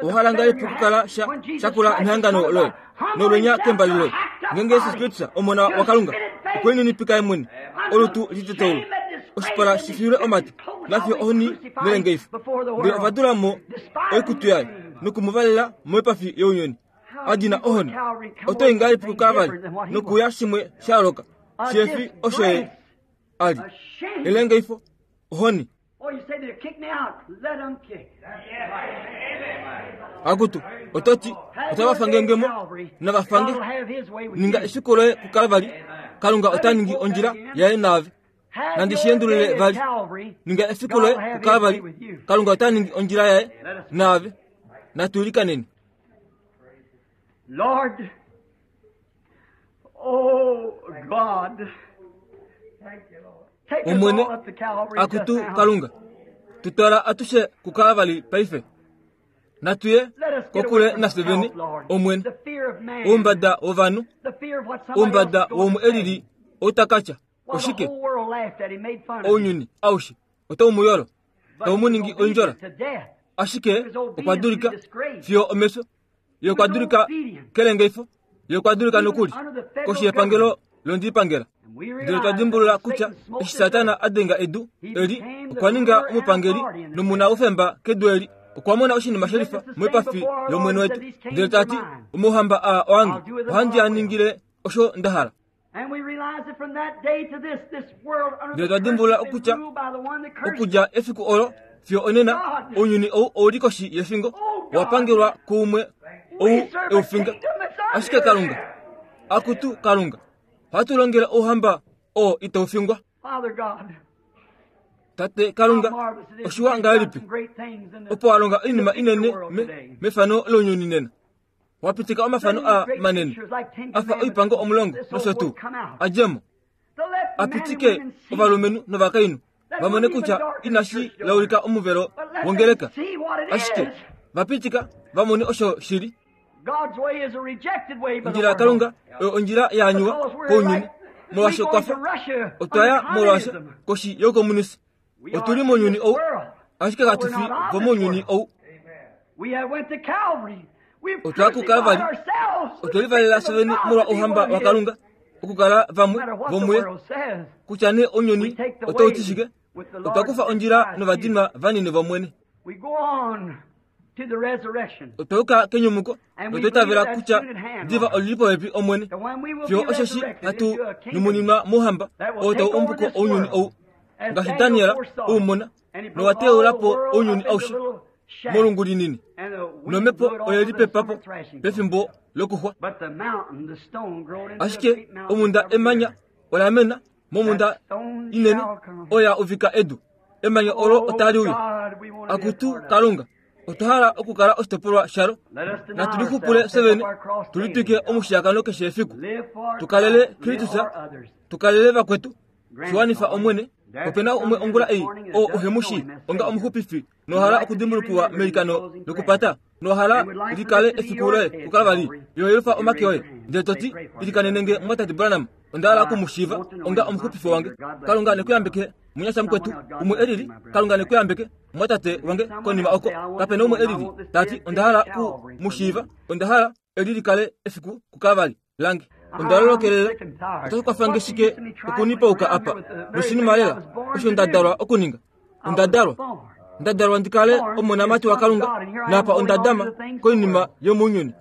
Owahala ngahelipi okukala sha shakula mehangano loye nolwenya kembali loye? Ngeenge Jesus Kristus Omona waKalunga okwe ninipika ye mwene, olutu liteteulwe, oshipala shi fiilwe omate, nafiyo ohoni nelengeifo, ndele ova dula mo oikutu yaye noku mu valela moipafi younyuni a dina ohoni, oto i ngahelipi kuKalvari nokuya shimwe sha yooloka shihefi osho ye a li? Elengeifo, ohoni. Akutu, oto ti, otava fange mo, nava fange. Ninga efiku loye kuKalvari, Kalunga ota ningi ondjila yaye naave. Nandi shi endulule vali. Ninga efiku loye kuKalvari, Kalunga ota ningi ondjila yaye naave. Natu ilikaneni. Lord, oh God, Omwene, akutu Kalunga, tutwala atushe kuKalvari paife. Natuye kokule nafye vene, Omwene. Oumbada wovanhu, oumbada woumwe elili outakatya, oshike? Ounyuni aushe otau mu yolo, tau mu ningi oindjola. Ashike okwa dulika fiyo omefyo, ye okwa dulika kelengeifo, ye okwa dulika nokuli koshi yepangelo londipangela. Ndele twa dimbulula kutya eshi Satana a denga edu eli, okwa ninga omupangeli nomuna oufemba kedu eli. Okwa mona oshinima shelifa moipafi yOmwene wetu, ndele ta ti, omauhamba aa oange, ohandi a ningile osho nda hala. Ndele twa dimbulula kutya okudja efiku olo Fiyo onena ounyuni ou ouli koshi yefingo wapangelwa kuumwe ou eufinga. Ashike Kalunga, akutu Kalunga, ohatu longele ouhamba oo itaufingwa. Tate Kalunga, oshiwa ngahelipi opo wa longa oinima inene mefano lounyuni nena. Wapitika omafano a manene afa oipango omulongo nosho tuu adjemo apitike ovalumenhu novakainhu vamone kutya inashi laulika omuvelo wongeleka, ashike vapitika vamone osho shili. Ondjila yaKalunga oyo ondjila ya anyuwa kounyuni, molwaashi okwafa otwaya molwaashi koshi youkomunisi. Otuli mounyuni ou, ashike katu fi vomounyuni ou. Otwaya kuKalvari, otwelivalela fyevene molwa ouhamba waKalunga, okukala vamwe vomuye, kutya nee ounyuni otau ti shike. Otwa kufa ondjila novadinwa vanini vOmwene. Otwa yuka kenyumuko notwa itavela kutya diva olili popepi Omwene, fiyo osheshi hatu nyumuninwa mouhamba oo tau umbuko ounyuni ou, ngaashi Daniel u mona, nowa teula po ounyuni aushe molungu linini, nomhepo oye lipepapo pefimbo lokuxwa. Ashike omunda emanya ola mena momunda inene oya uvika edu, emanya olo otali uya. Akutu Kalunga, otwa hala okukala oshitopolwa shalo. Natu lixupule fyevene, tulitwike omushiyakano keshe efiku, tukalele Kristus, tukalele vakwetu, shiwanifa Omwene. Opena umwe ongula ei oo uhemushi onga omuxupifi nohala okudimbulukiwa meilikano lokupata, nohala likale efiku loye kuKalvari, yoyelufa omake oye ndele toti, ilikanenenge mwatate Branham, onda hala okumushiiva onga omuxupifi wange. Kalunga nekuyambeke munyasha mukwetu umwe elili. Kalunga nekuyambeke mwatate wange konima oko. Kapena umwe elili tati onda hala ku mushiiva, onda hala eli likale efiku kuKalvari lange. Onda lolokelela otashi kwafange shike okunipauka apa noshinima lela osho nda dalwa okuninga. Onda dalwa nda dalwa ndikale omonamati waKalunga, napa onda dama koinima yomounyuni.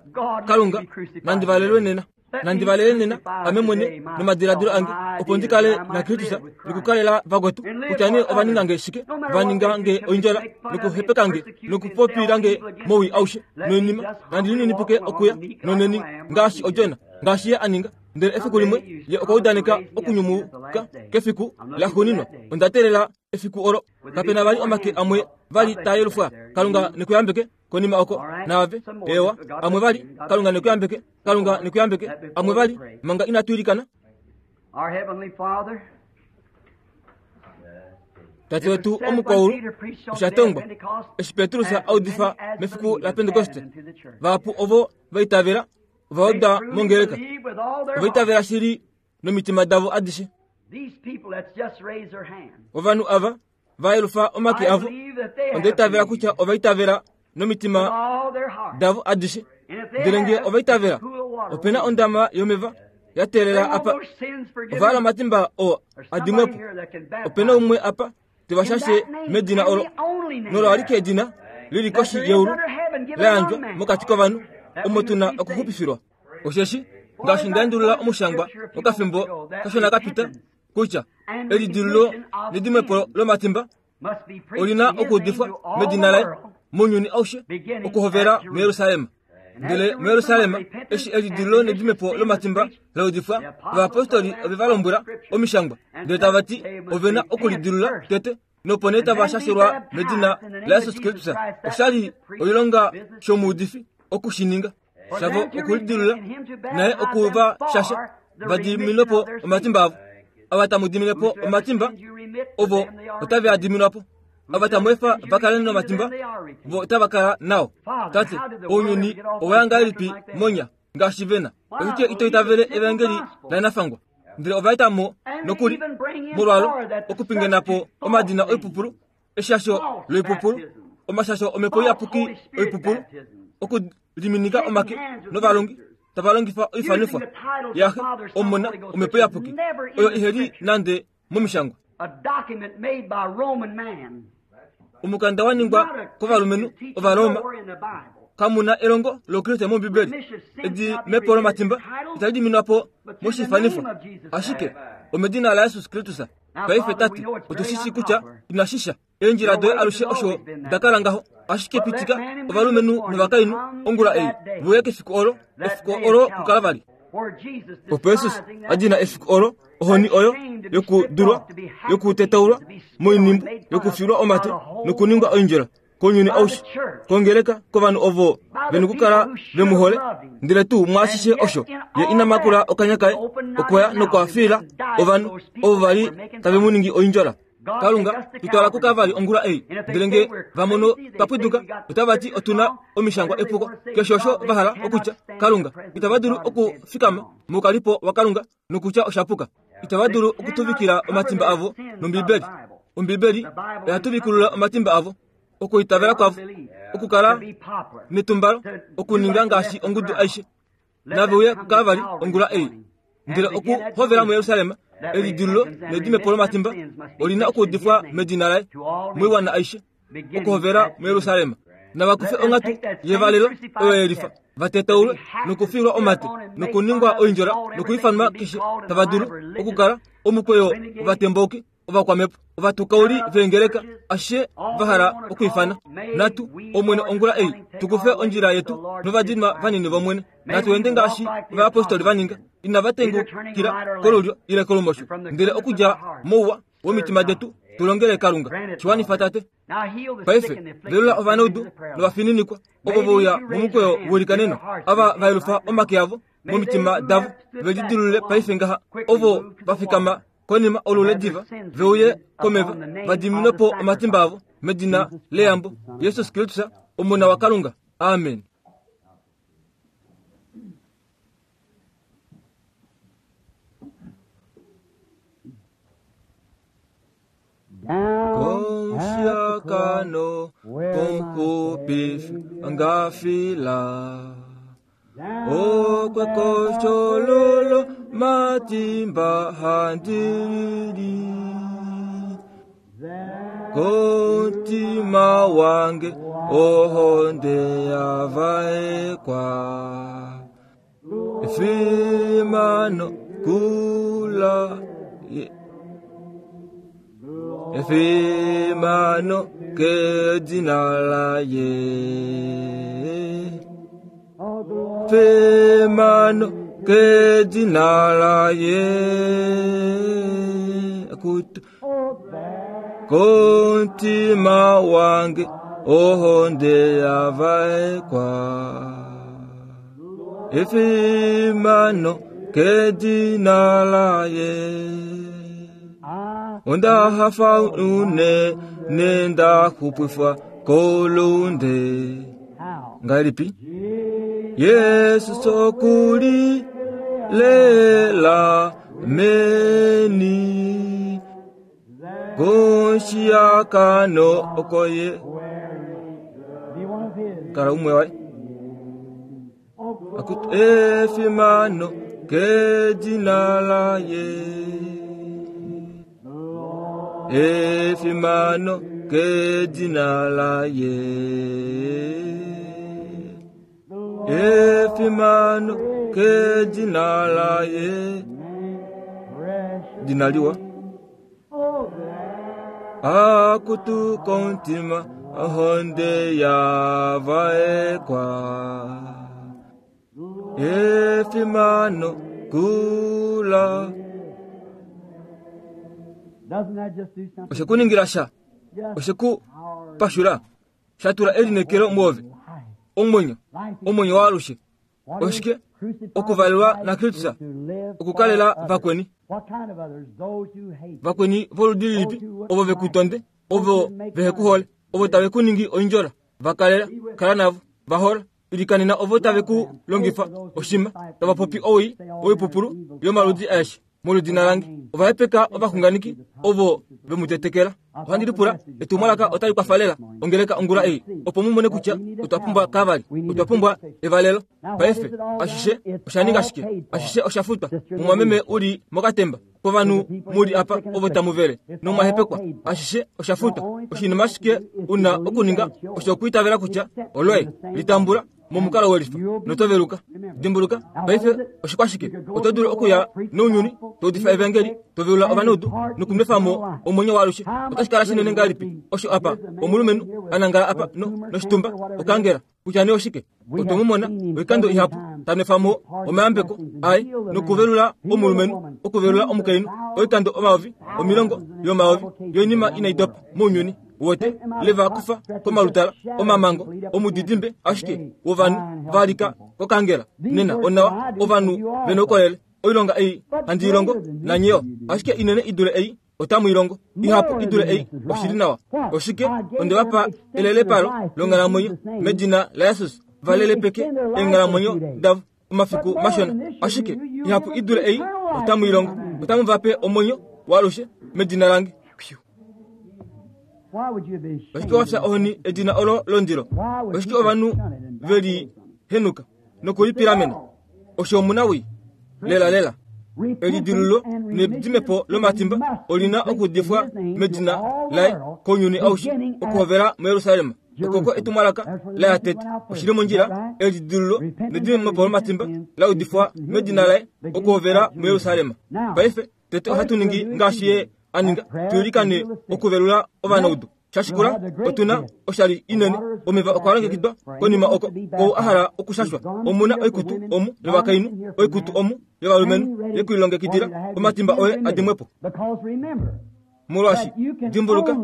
Kalunga, nandi valelwe nena, nandi valele nena ame mwene nomadiladilo ange, opo ndikale naKristus nokukalela vakwetu, kutya nee ovaningange shike, vaningange oindjala nokuhepekange nokupopilange mowii aushe noinima, nandi lininipike okuya noneni ngaashi odjona, ngaashi ye aninga. Ndele efiku limwe ye okwa udaneka okunyumuka kefiku laxuuninwa. Onda teelela efiku olo. Kapena vali omake amwe vali taa yelufwa. Kalunga nekuyambeke konima oko naave. Ewa, amwe vali. Kalunga nekuyambeke. Kalunga nekuyambeke. Amwe vali manga inatu ilikana. Tate wetu omukwaulu, osha tongwa eshi Petrus a udifa mefiku laPentekoste, vahapu ovo va itavela ova uda mongeleka, ova itavela shili nomitima davo adishe. Ovanhu ava va yelufa omake avo, onda itavela kutya ova itavela nomitima davo adishe. Ndele ngee ova itavela, opena ondama yomeva ya teelela apa. Ova hala omatimba oo adimwepo. Opena umwe apa tevashashe medina olo, nolo alike edina lili koshi yeulu la yandjwa mokati kovanhu omo tuna okuxupifilwa. Osheshi ngaashi nda endulula omushangwa mokafimbo kashona kapita, kutya elidilululo nedimwepo lomatimba olina okuudifwa medina laye mounyuni aushe, okuhovela muJerusalem. Ndele muJerusalem eshi elidilululo nedimepo lomatimba la udifwa, ovayapostoli ove va lombwela omishangwa, ndele tava ti ovena okulidilula tete, nopo nee tava shashelwa medina laJesus Kristus. Oshali oilonga shomuudifi okushininga shavo okulidilula naye okuva shasha vadiminwepo omatimba avo. Ava tamu dimine po omatimba ovo otave a diminwa po, ava tamu efa va kale nomatimba vo otava kala nao. Tate, ounyuni owa ya ngahelipi monya ngaashi vena? Oshike ito itavele evangeli lanafangwa? Ndele ova eta mo nokuli molwalo okupingena po omadina oipupulu, eshasho loipupulu, omashasho omhepo iyapuki oipupulu, okuliminika omake novalongi tava longifa oifanifwa yaxe omona omhepo iyapuki oyo iheli nande momishangwa. Omukanda wa ningwa kovalumenhu Ovaroma, kamuna elongo lokriste mOmbibeli. Edimepo lomatimba itali diminwa po moshifanifwa, ashike omedina laJesus Kristus. Paife tate, otu shi kutya inashisha eendjila doye alushe osho dakala ngaho. Ashike pitika ovalumenhu novakainhu ongula ei veuye kefiku olo, efiku olo kuKalvari. Opo Jesus a dina efiku olo, ohoni oyo yokudulwa, yokutetaulwa moinhimbu, yokufilwa omate nokuningwa oindjela kounyuni aushe, kongeleka kovanhu ovo vena okukala vemuhole. Ndele tuu mwaashishe osho ye ina makula okanya kaye, okwaya nokwafiila ovanhu ovo vali tave mu ningi oindjola. Kalunga, tutwala kuKalvari ongula ei. Ndele nge vamono twapwiduka, otava ti otuna omishangwa epuko. Keshe osho vahala okutya, Kalunga, itava dulu okufikama moukalipo waKalunga nokutya oshapuka. Itava dulu okutuvikila omatimba avo nOmbibeli. Ombibeli oya tuvikulula omatimba avo, okuitavela kwavo, okukala netumbalo, okuninga ngaashi ongudu aishe. Nave uye kuKalvari ongula ei. Ndele okuhovela muJerusalem, elidilululo nedimepo lomatimba olina okuudifwa medina laye moiwana aishe, okuhovela muJerusalem. Navakufe onghatu yevalelo oyo yelifa, vatetaulwe nokufilwa omate nokuningwa oindjola nokuifanwa keshe tava dulu okukala omukweyo ovatembauki, ovakwamhepo, ovatukauli veengeleka, ashishe vahala okwiifana. Natu Omwene ongula ei tukufe ondjila yetu novadinwa vanini vOmwene. Natu ende ngaashi ovayapostoli vaninga, inava tengukila kolulyo ile kolumosho, ndele okudja mouwa womitima detu tulongele Kalunga. Shiwanifa tate. Paife velula ovanaudu novafininikwa ovo veuya momukweyo welikaneno, ava vayelufa omake avo momitima davo velidilulule paife ngaha, ovo vafikama konima olule diva veuye komeva vadiminwe po omatimba avo medina leyambo Jesus Kristus Omona waKalunga. Amen. Komfiakano komuxupifi angafila okwekoshololo matimba handili kontima wange ohonde yavaekwa efimano kula efimano kedina laye Femano kedina laye kutu kontima wange ohonde yavaekwa efimano kedina laye onda hafa une nenda xupwifa kolunde ngalipi Yesu sokuli lela meni koshiakano okoye kala umwe waye akut efimano kedina laye efimano kedina laye efimano kedina laye dinaliwa akutu kontima ohonde yavaekwa efimano kula oshekuningila sha oshekupashula shatula elinekelo muove omwenyo omwenyo waalushe oshike okuvalelwa na Kristus okukalela vakweni vakweni voludi lilipi ovo vekutonde ovo vehekuhole ovo tave kuningi oindjola vakalela kala navo vahola ilikanena ovo tave ku longifa oshima tava popi owii oipupulu yomaludi aeshe moludina lange ovahepeka ovaxunganeki ovo vemutetekela. Ohandi lipula etumwalaka otali kwafalela ongeleka ongula ei opo mumone kutya otwa pumbwa Kalvari, otwa pumbwa evalelo. Paife ashishe osha shike? Ashishe osha futwa. Mumwameme uli mokatemba kovanhu muli apa ovo tamuvele nomwahepekwa. Ashishe osha futwa. Oshinima shike una okuninga osho okwiitavela kutya oloye litambula momukalo welifa notoveluka. Dimbuluka, paife oshikwashike oto dulu okuya nounyuni toudifa evangeli tovelula ovanaudu nokunwefamo omwenyo waalushe. Otashi kala shinene ngahelipi osho apa omulumenhu anangala apa no noshitumba okangela kutya nee oshike. Otwe mu mona oikando ihapu tanwefamo omayambeko aye nokuvelula omulumenhu okuvelula omukainhu oikando omayovi omilongo yomayovi yoinima inai dopa mounyuni wote leva kufa komalutala omamango omudidimbe ashike wovanhu valika kokangela nena onawa ovanhu vena oukolele. Oilonga ei handi ilongo nanyeyo ashike inene idule ei otamu ilongo ihapu idule ei oshili nawa. Oshike onde vapa elelepalo longhalamwenyo medina laJesus valelepeke eenghalamwenyo davo omafiku mashona ashike ihapu idule ei otamu ilongo otamu vape omwenyo waalushe medina lange. Oshike wafya ohoni edina olo londilo? Oshike ovanhu veli henuka nokulipilamena? Osho omuna wii lela lela. Elidilululo nedimepo lomatimba olina okudifwa medina laye kounyuni aushe okuhovela muYerusalem. Okoko etumwalaka laya tete oshili mondjila. Elidilululo nedimepo lomatimba laudifwa medina laye okuhovela muYerusalem. Paife tete ohatu ningi ngaashi ye aninga, tuilikane okuvelula ovanaudu. Shashikula otuna oshali inene omeva okwa longekidwa konima oko kou a hala okushashwa. Omuna oikutu omu yovakainhu, oikutu omu yovalumenhu yekuilongekidila omatimba oye adimwepo. Molwaashi dimbuluka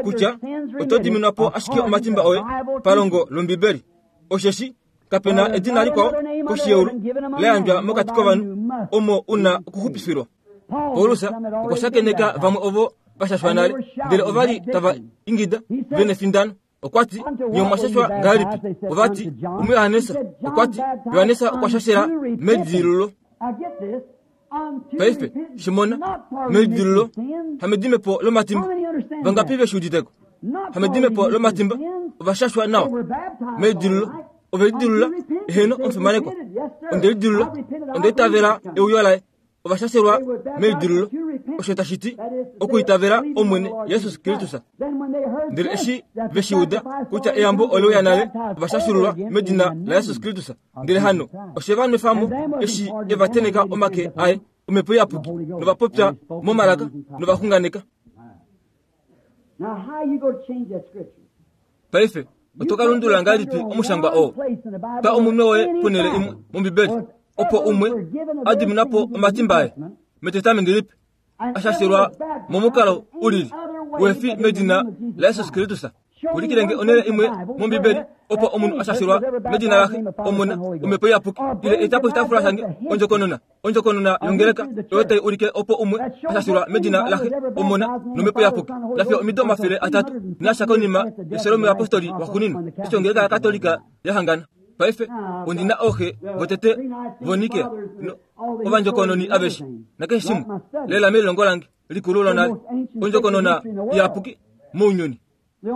kutya oto diminwa po ashike omatimba oye palongo lOmbibeli. Osheshi kapena edina likwao koshi yeulu la yandjwa mokati kovanhu omo una okuxupifilwa. Paulus okwa shakeneka vamwe ovo vashashwa nale, ndele ova li tava ingida vene findano. Okwa ti, nye omwa shashwa ngahelipi? Ova ti, omuYohanesa. Okwa ti, Yohanesa okwa shashela melidilululo. Paife shimona melidilululo hamedimepo lomatimba. Vangapi ve shi uditeko? Hamedimepo lomatimba ova shashwa nawa melidilululo. Ove lidilulula eheno omufimanekwa. Onde lidilulula, onde itavela euyo laye. Ova shashelwa melidilululo, osho tashi ti okuitavela Omwene Jesus Kristus. Ndele eshi ve shi uda kutya eyambo oleuya nale, ova shashululwa medina laJesus Kristus. Ndele hano oshe va nwefamo eshi e va teneka omake aye omhepo iyapuki nova popya momalaka novaxunganeka. Paife oto ka lundulula ngahelipi omushangwa oo? Twa omunwe woye ponhele imwe mOmbibeli opo umwe a dimina po omatimba aye mEtestamenti Lipe ashashelwa momukalo ulili wefi medina laJesus Kristus. Ulikilenge onhele imwe mOmbibeli opo omunhu ashashelwa medina laxe, Omona, Omhepo Iyapuki, ile etapo oshitaafula shange ondjokonona ondjokonona yongeleka oyo tai ulike opo umwe ashashelwa medina laxe, Omona nOmhepo Iyapuki. Lafiya omido omafele atatu nasha konima yefyo lomuyapostoli waxuuninwa eshi ongeleka yaKatolika ya hangana. Paife ondina ooxe votete voNikea ovandjokononi aveshe nakeshe shimwe lela melilongo lange likulu lonale ondjokonona iyapuki mounyuni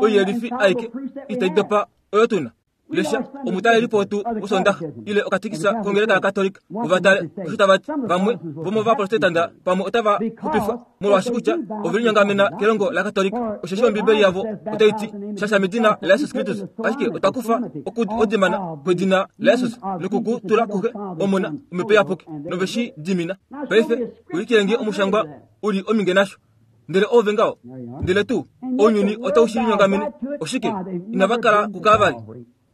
oiyelifi aike itai dopa oyo tuna. Lesha omutalelipo wetu wosondaxa ile okatikisa kongeleka yaKatolika ovatale osho tava ti vamwe vomovaprotestanta pamwe otava xupifwa molwaashi kutya ove linyongamena kelongo laKatolika. Osheshi Ombibeli yavo otai ti shasha medina laJesus Kristus, ashike otwa kufa okudimana kwedina laJesus nokukutula kuxe Omona Omhepo Iyapuki nove shi dimina. Paife ulikilenge omushangwa uli ominge nasho. Ndele ove ngaho, ndele tuu ounyuni otau shi linyongamene. Oshike inava kala kuKalvari?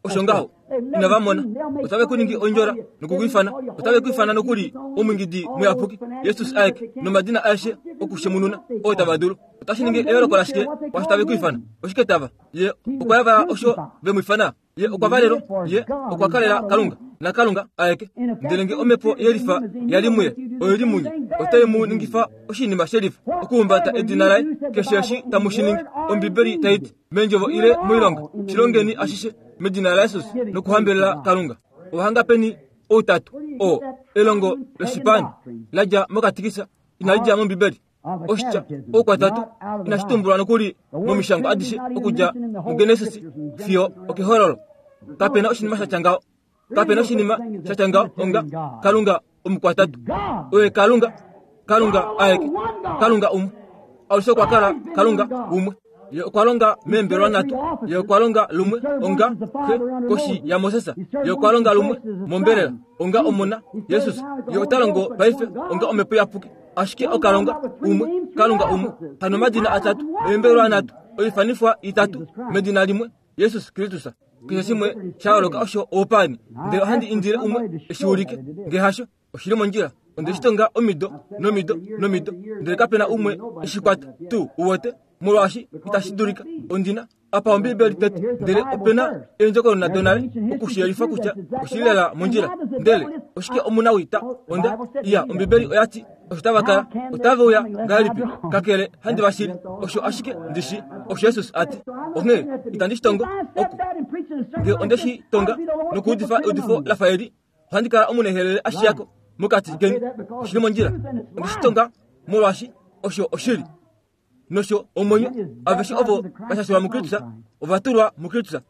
Osho ngaho inava mona. Otave ku ningi ondjola nokukuifana, otave kuifana nokuli omwingidi muyapuki Jesus aeke nomadina aeshe okushemununa oo tava dulu. Otashi ningi eyooloko lashike kwaasho tave kuifana? Oshike tava? Ye okwa yavala osho ve mu ifana. Ye okwa valelwa, ye okwa kalela Kalunga naKalunga aeke. Ndele nge omhepo yelifa yali muye oyo li munye, otai mu ningifa oshinima shelifa okuhumbata edina laye keshe eshi tamu shi ningi. Ombibeli tai ti meendjovo ile moilonga, shilongeni ashishe medina laJesus nokuhambelela Kalunga. Ohanga peni outatu oo elongo loshipani la dja mokatikisa inali dja mOmbibeli. Oshitya oukwatatu inashi tumbulwa nokuli momishangwa adishe okudja muGenesis fiyo okEhololo. Kapena oshinima sha tya ngaho. Kapena oshinima sha tya ngaho onga Kalunga omukwatatu. Oye Kalunga, Kalunga aeke, Kalunga umwe. Alushe okwa kala Kalunga umwe. Ye okwa longa meembelwa nhatu. Ye okwa longa lumwe onga Xe koshi yaMoses. Ye okwa longa lumwe mombelela onga Omona Jesus. Ye ota longo paife onga Omhepo Iyapuki. Ashike okalonga umwe, Kalunga umwe, hano omadina atatu, eembelwa nhatu, oifanifwa itatu medina limwe, Jesus Kristus. Keshe shimwe sha yooloka osho oupani. Ndele ohandi indile umwe eshi ulike, nge hasho oshili mondjila. Onde shi tonga omido nomido nomido, ndele kapena umwe eshi kwata tuu uwete, molwaashi itashi dulika. Ondina apa Ombibeli tete, ndele opena eendjokonona donale okushiyelifa kutya oshili lela mondjila. Ndele oshike omunawita onda iya Ombibeli oya ti osho tava kala otave uya ngahelipi, kakele handi vashili osho ashike ndishi osho Jesus a ti. Onghee itandi shi tongo oku nge onde shi tonga nokuudifa eudifo la fa eli, ohandi kala omunehelele ashiyako mokati keni. Oshili mondjila. Onde shi tonga molwaashi osho oshili nosho omwenyo. Aveshe ovo vashashilwa muKristus ova tulwa muKristus,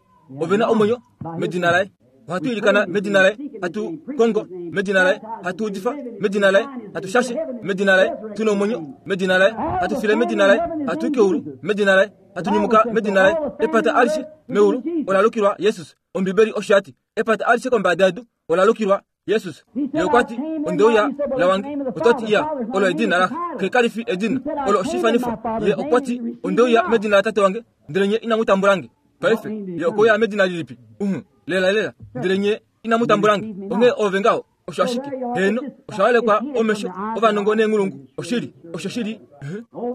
ove na omwenyo medina laye. Ohatu ilikana medina laye, hatu kongo medina laye, hatu udifa medina laye, hatu shashe medina laye, tuna omwenyo medina laye, hatu file medina laye, hatu keulu medina laye, hatu nyumuka medina laye. Epata alishe meulu ola lukilwa Jesus. Ombibeli osho yati epata alishe kombada yedu ola lukilwa Jesus. Ye okwa ti ondeuya lawange, otati iya olo edina laxe, xe kali fi edina, olo oshifanifo. Ye okwa ti ondeuya medina latate wange, ndele nye inamu tambulange. Paife ye okouya medina lilipi? Uhu, lela lela, ndele nye inamu tambulange. Onghee ove ngaho osho ashike heno osha walekwa omesho ovanongo neenghulungu. Oshili osho shili.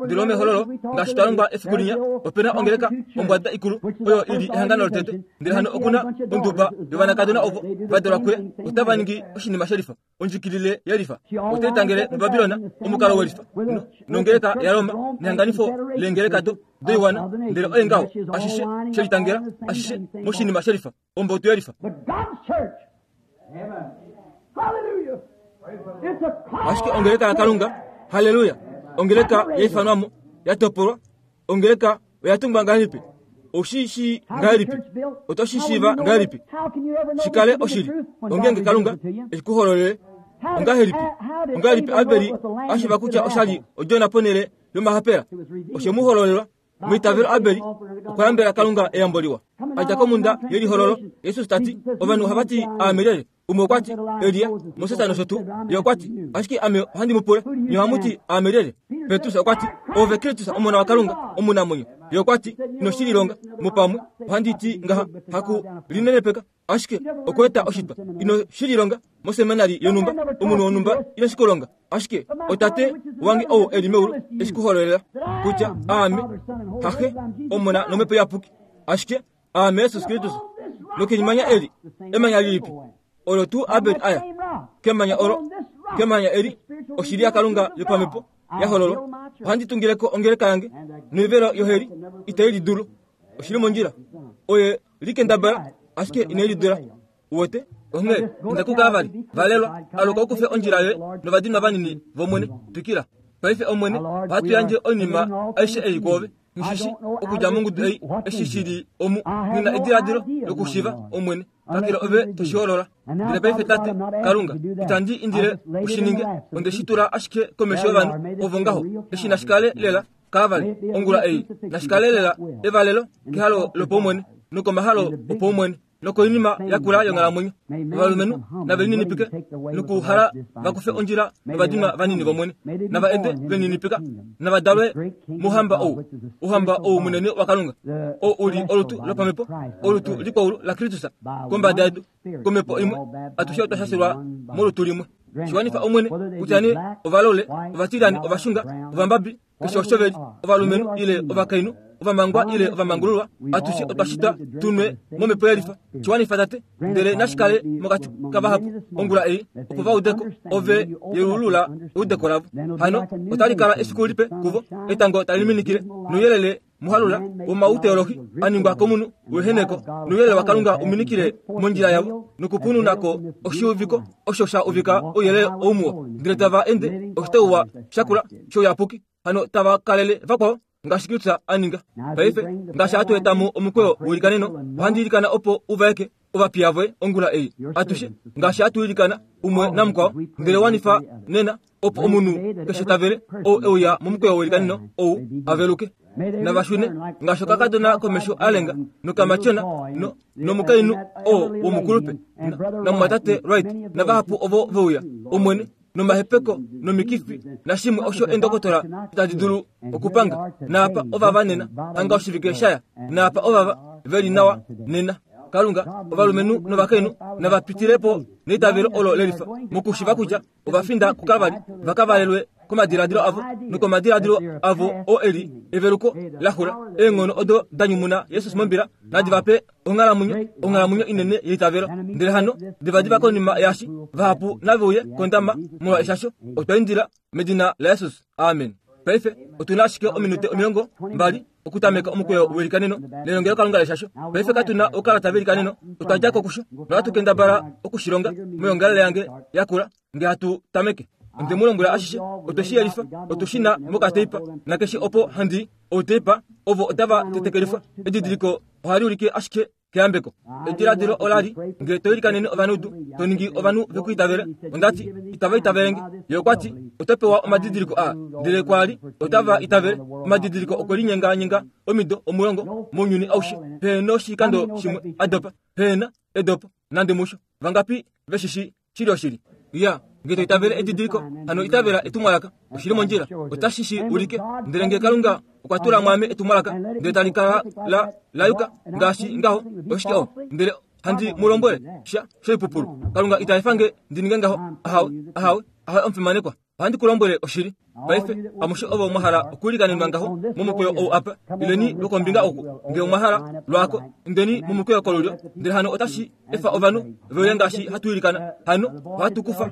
Ndele omehololo ngaashi twa longwa efiku linya, opena ongeleka ombwada ikulu oyo ili ehangano lotete. Ndele hano okuna onduba yovanakadona ovo va dalwa kuye, otava ningi oshinima shelifa, ondjikilile yelifa. Otaitangele muBabilona omukalo welifa nongeleka yaRoma nehanganifo leengeleka do doiwana. Ndele oye ngaho ashishe shelitangela ashishe moshinima shelifa, ombotu yelifa. Ashike ongeleka yaKalunga, haleluya, ongeleka yaifanwamo yatopolwa. Ongeleka oya tungwa ngahelipi? Oshi shi ngahelipi? Oto shi shiiva ngahelipi? Shikale oshili ongenge Kalunga eshikuhololele. Ongahelipi? Ongahelipi Abeli ashiiva kutya oshali odjona ponhele yomahapela? Oshe mu hololelwa. Meitavelo Abeli okwa yambela Kalunga eyambo liwa. Adja komhunda yelihololo, Jesus ta ti, ovanhu ohava ti aame lyelye? Umwe okwa ti Elia, Moses nosho tuu. Ye okwa ti, ashike ame ohandi mu pula, nye ohamu ti aame lyelye? Petrus okwa ti, ove Kristus Omona waKalunga omunamwenyo. Ye okwa ti, ino shi lilonga mupamwe, ohandi ti ngaha, haku linenepeka, ashike okweeta oshitwa. Ino shi lilonga moseminari yonhumba, omunhu wonhumba ino shi kulonga, ashike otate wange ou eli meulu eshi kuhololela kutya aame haxe, Omona nOmhepo Iyapuki, ashike aame Jesus Kristus. Nokenimanya eli emanya lilipi olo tuu Abel aya kemanya olo, kemanya eli oshili yaKalunga yopamhepo yahololwa. Ohandi tungileko ongeleka yange noivelo yoheli itai lidulu. Oshili mondjila. Oye likendabala ashike ine lidula. Uwete? Onghee inda kuKalvari, valelwa, aluka ukufe ondjila yoye novadinwa vanini vOmwene. Twikila. Paife Omwene, ohatu yandje oinima aishe ei kwoove. Nghishishi okudja mongudu ei eshi shili omu, ngina ediladilo lokushiva Omwene, kakele ove toshiholola. Ndele paife Tate Kalunga, itandi indile ushininge, onde shi tula ashike komesho yovanhu ovo ngaho. Eshi nashikale lela Kalvari ongula ei, nashikale lela evalelo kehalo lopaumwene nokomahalo opaumwene nokoinima yakula yonghalamwenyo. Ovalumenhu nave lininipike nokuhala vakufe ondjila novadinwa vanini vOmwene, nava ende veninipika, nava dalwe mouhamba ou, ouhamba ou munene waKalunga, ou uli olutu lopamhepo, olutu likwaulu laKristus kombada yedu, komhepo imwe atushe otwa shashilwa molutu limwe. Shiwanifa Omwene kutya nee ovalole, ovatilani, ovashunga, ovambabi, keshe osho veli, ovalumenhu ile ovakainhu, ovamangwa ile ovamangululwa, atushe otwa shitwa tunwe momhepo yelifa. Shiwanifa Tate, ndele nashikale mokati kavahapu ongula ei, opo va udeko ove yeulula eudeko lavo. Hano otali kala efiku lipe kuvo, etango tali minikile nouyelele muhalula womauteolohi aningwa komunhu weheneko, nouyelele waKalunga uminikile mondjila yavo nokupununako oshiuviko osho sha uvika ouyelele oumuwa. Ndele tava ende oshitauwa shakula shouyapuki, hano tava kalele vakwao ngaashi Kristus a ninga. Paife ngaashi hatu eta mo omukweyo welikaneno, ohandi ilikana opo uvaeke ovapiya voye ongula ei atushe ngaashi hatu ilikana umwe namukwao ndele wanifa nena opo omunhu keshe tavele ou euya momukweyo welikanino ou aveluke navashune ngaashi okakadona komesho alenga nokamatyona no nomukainhu oo womukulupe namumwatate Wright navahapu ovo veuya omwene nomahepeko nomikifi nashimwe osho endokotola itadi dulu okupanga naapa ovava nena hanga oshivike shaya naapa ovava veli nawa nena Kalunga ovalumenhu novakainhu navapitilepo neitavelo olo lelifa mokushiva kutya ovafinda kuKalvari vakavalelwe komadiladilo avo nokomadiladilo avo o eli eveluko laxula eenghono odo danyumuna Jesus mombila nadi vape onghalamwenyo onghalamwenyo inene yeitavelo ndele hano divadiva konima yashi vahapu naveuye kondama molwa eshasho otwa indila medina laJesus amen. Paife otuna ashike ominute omilongo mbali okutameka omukweyo welikaneno nelongelo Kalunga leshasho. Paife katuna okalata velikaneno otwadjako kusho nohatu kendabala okushilonga moyongalele yange yakula nge hatu tameke onde mulombwela ashishe otweshiyelifa otushina mokateipa nakeshe opo handi outeipa ovo otava tetekelifwa edidiliko ohali ulike ashike keyambeko ediladilo olali nge toilikanene ovanudu toningi ovanhu vekuitavela ondati itava itavelenge ye okwati otopewa omadidiliko a ndele kwali otava itavele omadidiliko okwelinyenganyenga omido omulongo mounyuni aushe pehena oshikando shimwe adopa pehena edopo nande musho vangapi veshishi shili oshili ya nge toitavele edidiliko hano itavela etumwalaka oshili mondjila otashi ulike ndele nge Kalunga okwa tula mwame etumwalaka ndele tali kala la layuka ngaashi ngaho oshike o ndele handi mulombwele sha shoipupulu Kalunga itaefange ndininge ngaho ahawe ahawe ahawe omufimanekwa ohandi kulombwele oshili. Paife amushe ovo mwahala okuilikanenwa ngaho momukweyo ou apa ileni lwokombinga oku nge omwahala lwako indeni momukweyo kolulyo ndele hano otashi efa ovanhu veuye ngaashi hatu ilikana hano ohatu kufa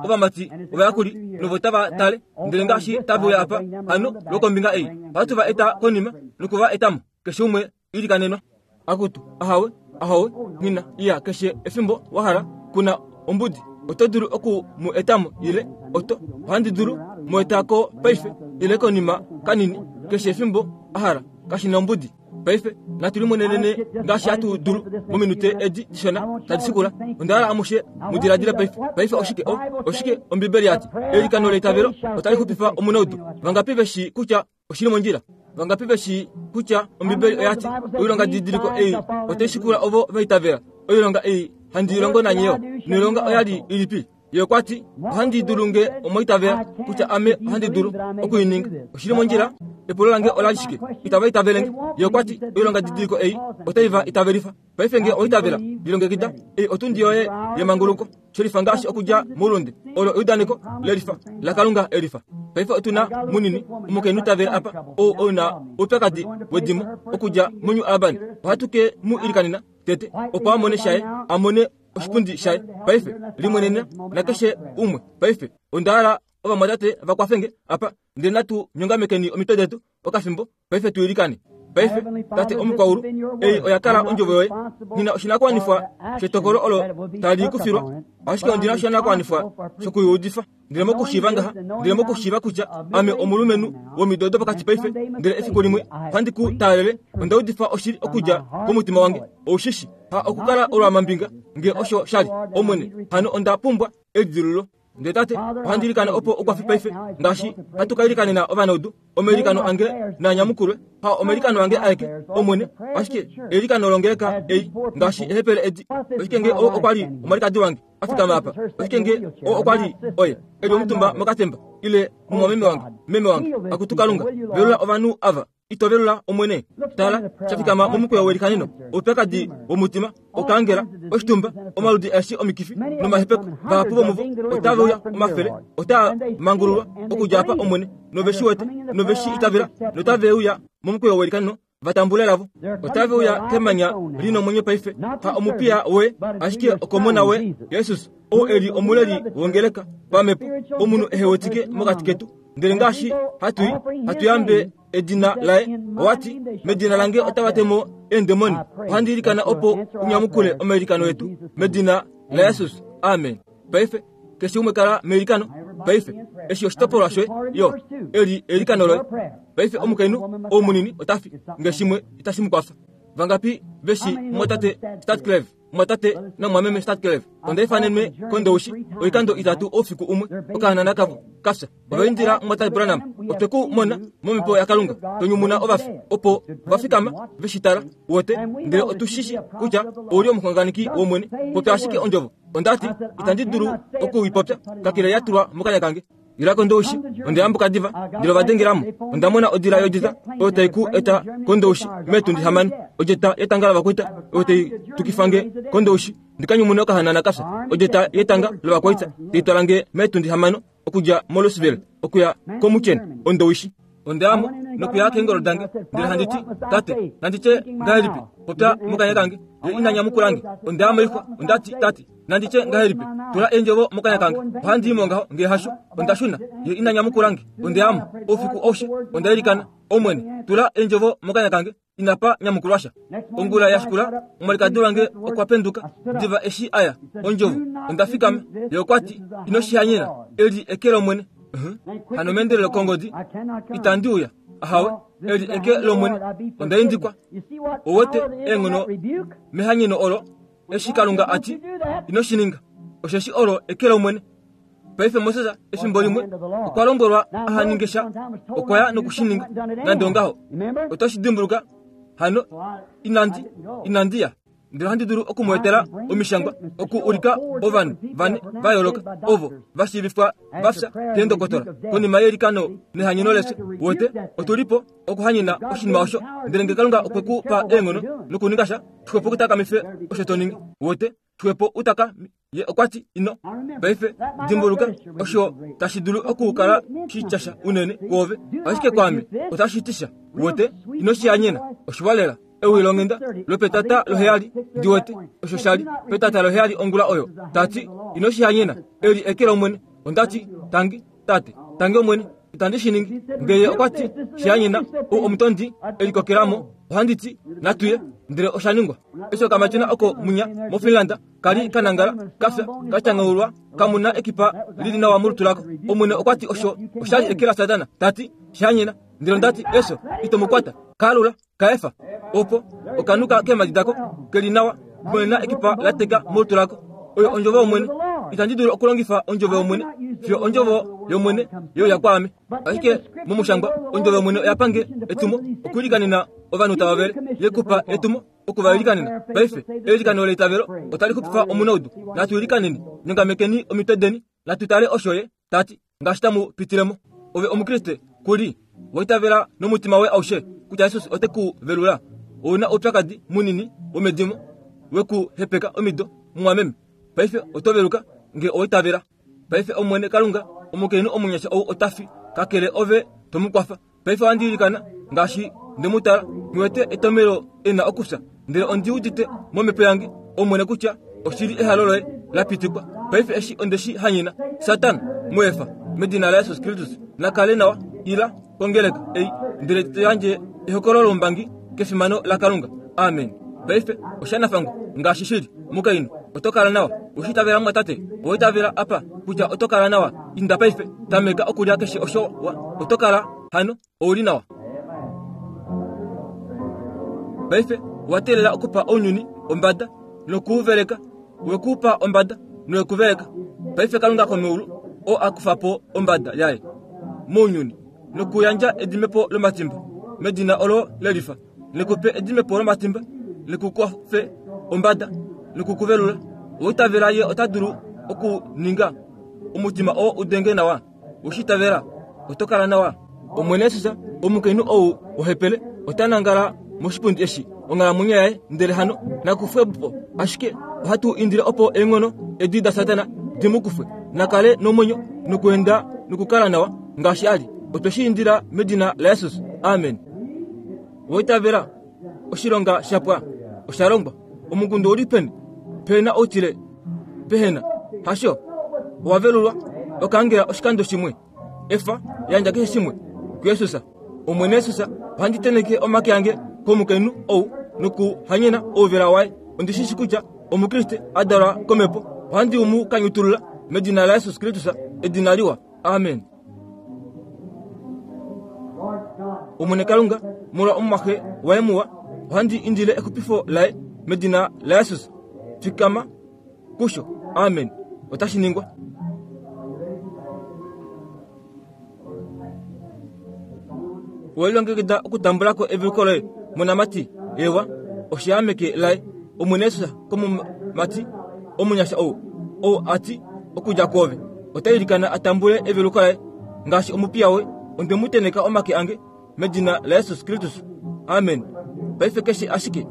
ovamati ovayakuli novo tava tale ndele ngaashi taveuya apa hano lwokombinga ei ohatu va eta konima nokuva etamo keshe umwe ilikanenwa akutu ahawe ahawe ngina iya keshe efimbo wahala kuna ombudi oto dulu oku mu etamo ile oto ohandi dulu mu etako paife ile konima kanini keshe efimbo ahala kashina ombudi. Paife natu limonenene ngaashi hatu dulu mominute edi dishona tadi shikula ondahala amushe mudiladile paife. Paife oshike o oshike Ombibeli yati elikano leitavelo otali xupifa omunaudu vangapi veshi kutya oshili mondjila vangapi veshi kutya Ombibeli oyati oilonga didiliko ei otai shikula ovo vaitavela oilonga ei handi ilongo nanyeyo noilonga oyali ilipi ye okwati ohandi dulu nge omoitavela kutya ame ohandi dulu okuininga oshili mondjila epulo lange olali shike itava itavelenge ye okwati oilonga didiliko ei otai va itavelifa paife nge oitavela lilongekida ei otundi yoye yemanguluko shelifa ngaashi okudja moulunde olo eudaneko lelifa laKalunga elifa. Paife otuna munini omukainhu tavela apa ou ouna oupyakadi wedimo okudja moNew Albany ohatu ke mu ilikanena tete opo amone shaye amone oshipundi shaye paife limwenena nakeshe umwe paife ondahala ovamwatate vakwafenge apa ndele natu nyongamekeni omitwe detu okafimbo paife tuilikane. Paife tate omukwaulu ei oyakala ondjovo yoye nina oshinakuwanifwa shetokolo olo tali kufilwa ashike ondina oshinakuwanifwa shokuyuudifa ndele mokushiiva ngaha ndele mokushiiva kutya ame omulumenhu womido dopokati paife ndele efiku limwe ohandi ku taalele ondaudifa oshili okudja komutima wange oushishi ha okukala olwamambinga nge osho shali omwene hano onda pumbwa elidilululo ndele tate ohandi ilikana opo okwafi paife ngaashi hatu ka ilikanena ovanaudu omailikano ange nanyamukulwe ha omailikano ange aeke omwene ashike eilikano longeleka ei ngaashi ehepele edi oshike nge o okwali omwalikadi wange afikama apa oshike nge o okwali oye eli omutumba mokatemba ile mumwameme wange meme wange akutu Kalunga velula ovanhu ava itovelula omwene tala shafikama momukweyo welikaneno oupyakadi womutima okaangela oshitumba omaludi aeshe omikifi nomahepeko vahapu vomuvo otaveuya omafele otaa mangululwa okudja apa omwene noveshi wete noveshi itavela notaveuya momukweyo welikaneno vatambule lavo otaveuya kemanya linomwenyo paife ha omupiya we ashike okomona we Jesus ou eli omuleli wongeleka pamepo omunhu ehewetike mokati ketu ndele ngaashi hatui hatuyambe edina laye owati medina lange otavatemo eendemoni ohandi ilikana opo unyamukule omailikano etu medina laJesus amen. Paife keshe umwe kala meilikano paife eshi oshitopolwa shoye yo eli eilikano loye paife omukainhu ou munini otafi nge shimwe itashi mukwafa vangapi veshi mwatate Statcleve mwatate namwameme Stadkelev onda ifanenwe kondoushi oikando itatu oufiku umwe okahanana kavo kafya ovaindila mwatate Branham otwe ku mona momhepo yaKalunga tonyumuna ovafi opo vafikama veshitala wote ndele otushishi kutya ouli omuxunganeki wOmwene popya ashike ondjovo ondati itandi dulu okuipopya kakele ya tulwa mokanya kange ila kondoushi ondayambuka diva ndele ovadengelamo ondamona odila yodita oyo tai ku eta kondoushi metundi hamano odjeta yetanga lovakwaita oyo tai tukifange kondoushi ndikanyumune okahanana kafya odjeta yetanga lovakwaita taitwalange metundi hamano okudja moLouisville okuya komucheni ondoushi ondayamo nokuya keengolo dange ndele handiti tate nanditye ngahelipi popya mokanya kange ye ina nyamukulange ondayamo ixwa ondati tate nanditye ngahelipi tula eendjovo mokanya kange ohandiimo ngaho ngee hasho ondashuna ye ina nyamukulange ondayamo oufiku aushe ondailikana Omwene tula eendjovo mokanya kange inapa nyamukulwasha ongula yashikula omwalikadi wange okwa penduka diva eshi aya ondjovo ondafikama ye okwati ino shihanyena eli eke lOmwene hano mendelelo kongodi itandi uya ahawe eli eke lOmwene ondaindikwa owete eenghono mehanyeno olo eshi Kalunga ati ino shininga osheshi olo eke lOmwene paife Moses efimbo limwe okwa lombwelwa ahaninge sha okwa ya nokushininga nande ongaho otoshi dimbuluka hano inandi inandiya ndele handi dulu okumweetela omishangwa oku ulika ovanhu vane va yooloka ovo va shiivifwa vafya keendokotola konima yelikano nehanyeno lefyo wote otulipo okuhanyena oshinima osho ndele nge Kalunga okwe ku pa eenghono nokuninga sha xwepo kutakamife osho to ningi wote xwepo utaka ye okwati ino paife dimbuluka osho tashi dulu okukala shityasha unene kwoove ashike kwaame otashi tisha wote ino shihanyena oshiwalela ewi longenda lopetata loheyali ndiwete osho shali petata loheyali ongula oyo tati ino shihanyena eli eke lOmwene ondati tangi tate tangi Omwene itandi shiningi ngeye okwati shihanyena ou omutondi elikokelamo ohanditi natuye ndele oshaningwa eshi okamatyona oko munya moFinland kali kanangala kafya kachangaulwa kamuna ekipa lili nawa molutu lako Omwene okwati osho oshali eke la Satana tati shihanyena ndele ondati eso itomukwata kalula kaefa opo okanuka keemadi dako keli nawa kumena ekipa lateka molutu lako oyo ondjovo yOmwene itandi dulu okulongifa ondjovo yOmwene fiyo ondjovo yOmwene yeuya kwaame ashike momushangwa ondjovo yOmwene oya pange etumo okuilikanena ovanhu tava vele yekupa etumo okuvailikanena paife eilikano leitavelo otali xupifa omunaudu natu ilikaneni nyongamekeni omitwe deni natu tale osho ye tati ngaashi tamu pitilemo ove omukriste kuli waitavela nomutima woye aushe kutya Jesus ote ku velula ouna oupyakadi munini womedimo wekuhepeka omido mumwameme paife oto veluka nge owaitavela paife Omwene Kalunga omukainhu omunyasha ou otafi kakele ove tomukwafa paife ohandiilikana ngaashi ndemutala ngiwete etomelo ena okufya ndele ondi udite momhepo yange Omwene kutya oshili ehalo loye la pitikwa paife eshi ondeshi hanyena Satana muefa medina la Jesus Kristus nakale nawa ila kongeleka ei ndele toyandje ehokololo lombangi kefimano laKalunga amen paife oshanafango ngaashi shili mukainhu oto kala nawa oshitavela mwatate owaitavela apa kutya oto kala nawa inda paife tameka okulya keshe osho oto kala hano ouli nawa paife owateelela okupa ounyuni ombada nokuuveleka wekupa ombada nokuveleka paife Kalunga komeulu o akufa po ombada yaye mounyuni nokuyandja edimepo lomatimba medina olo lelifa likupe edimepo lomatimba likukufe ombada nikukuvelula oitavela ye ota dulu okuninga omutima oo udenge nawa oshitavela oto kala nawa Omwene Jesus omukainhu ou ohepele ota nangala moshipundi eshi onghalamwenyo yaye ndele hano nakufwepo ashike ohatu indile opo eenghono edi da Satana dimukufwe nakale nomwenyo nokuenda nokukala nawa ngaashi ali otwe shi indila medina la Jesus amen oitavela oshilonga shapwa oshalongwa omukundu uli peni pena outile pehena hasho owavelulwa okangela oshikando shimwe efa yandja keshe shimwe kuYesus Omwene Jesus ohandi teneke omake ange komukainhu ou nokuhanyena ouvela waye ondishishi kutya omukriste adalwa komhepo ohandi umu kanyutulula medina la Jesus Kristus edina liwa amen Omwene Kalunga molwa omumwaxe waye muwa ohandi indile exupifo laye medina la Jesus Fikama kusho. Amen. Otashi ningwa. Welilongekida okutambula ko eveluko loye monamati ewa oshiameke laye Omwene Jesus komumati omunyasha ou ou ati okudja kwoove ota ilikana a tambule eveluko laye ngaashi omupiya woye onde mu teneka omake ange medina laJesus Kristus. Amen. Paife keshe ashike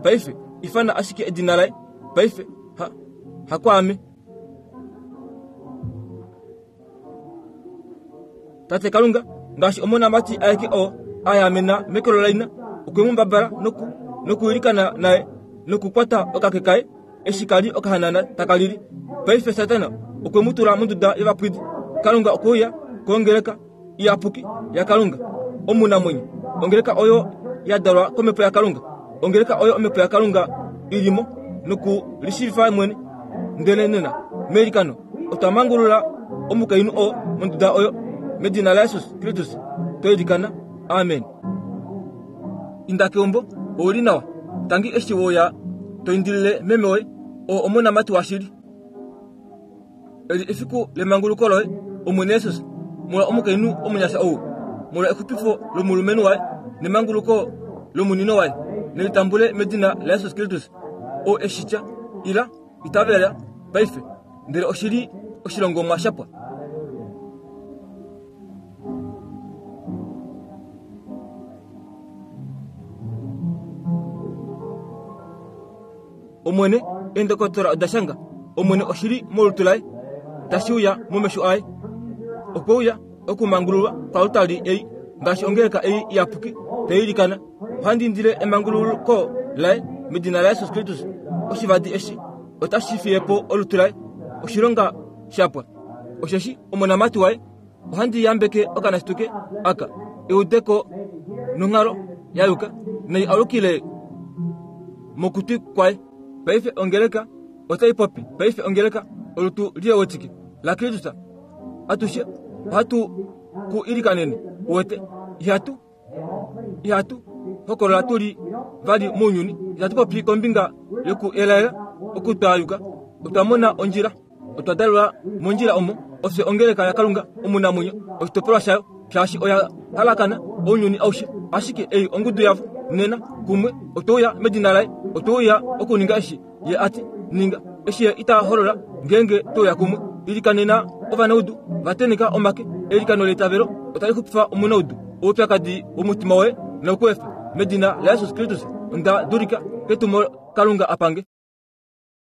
paife ifana ashike edina laye paife ha hakwaame. Tate Kalunga ngaashi omonamati aeke oo a yaamena mekolo laina okwe mu mbabala noku nokuilikana naye nokukwata okake kaye eshi kali okahanana taka lili. Paife Satana okwe mu tula monduda yovapwidi. Kalunga okwe uya kongeleka iyapuki yaKalunga omunamwenyo, ongeleka oyo ya dalwa komhepo yaKalunga, ongeleka oyo omhepo yaKalunga ilimo nokulishiivifa mwene. Ndele nena meilikano otwa mangulula omukainhu oo monduda oyo medina laJesus Kristus twa ilikana. Amen. Inda keumbo, ouli nawa. Tangi eshi woya to indilile meme woye oo omonamati washili. Eli efiku lemanguluko loye, Omwene Jesus, molwa omukainhu omunyasha ou, molwa exupifo lomulumenhu waye nemanguluko lomunino waye, nelitambule medina laJesus Kristus oo eshi tya, ila, itavela paife, ndele oshili oshilongomwa shapwa. Omwene, eendokotola oda shanga, Omwene oshili molutu laye, tashi uya momesho aye. Okwe uya okumangululwa kwalutali ei, ngaashi ongeleka ei iyapuki tai ilikana. Ohandi indile emanguluko laye medina laJesus Kristus. Oshivadi eshi otashi fiye po olutu laye, oshilonga shapwa. Osheshi omonamati waye, ohandi yambeke okanashituke aka eudeko nonghalo ya yuka, nai alukile mokutwi kwaye. Paife ongeleka otai popi. Paife ongeleka olutu liewetike laKristus. Atushe ohatu ku ilikanene. Uwete, ihatu ihatu hokolola tuli vali mounyuni. Itatu popi kombinga yoku elaela okutwayuka. Otwa mona ondjila, otwa dalelwa mondjila omo. Ofye ongeleka yaKalunga omunamwenyo, oshitopolwa shayo, shaashi oya halakana ounyuni aushe. Ashike ei ongudu yavo nena kumwe otwe uya medina laye, otwe uya okuninga eshi ye ati ninga, eshi ye ita holola ngeenge twe uya kumwe. Ilikanena ovanaudu, va teneka omake. Eilikano leitavelo otali xupifa omunaudu. Oupyakadi womutima woye nauku efe medina laJesus Kristus. Onda dulika ketumo Kalunga apange.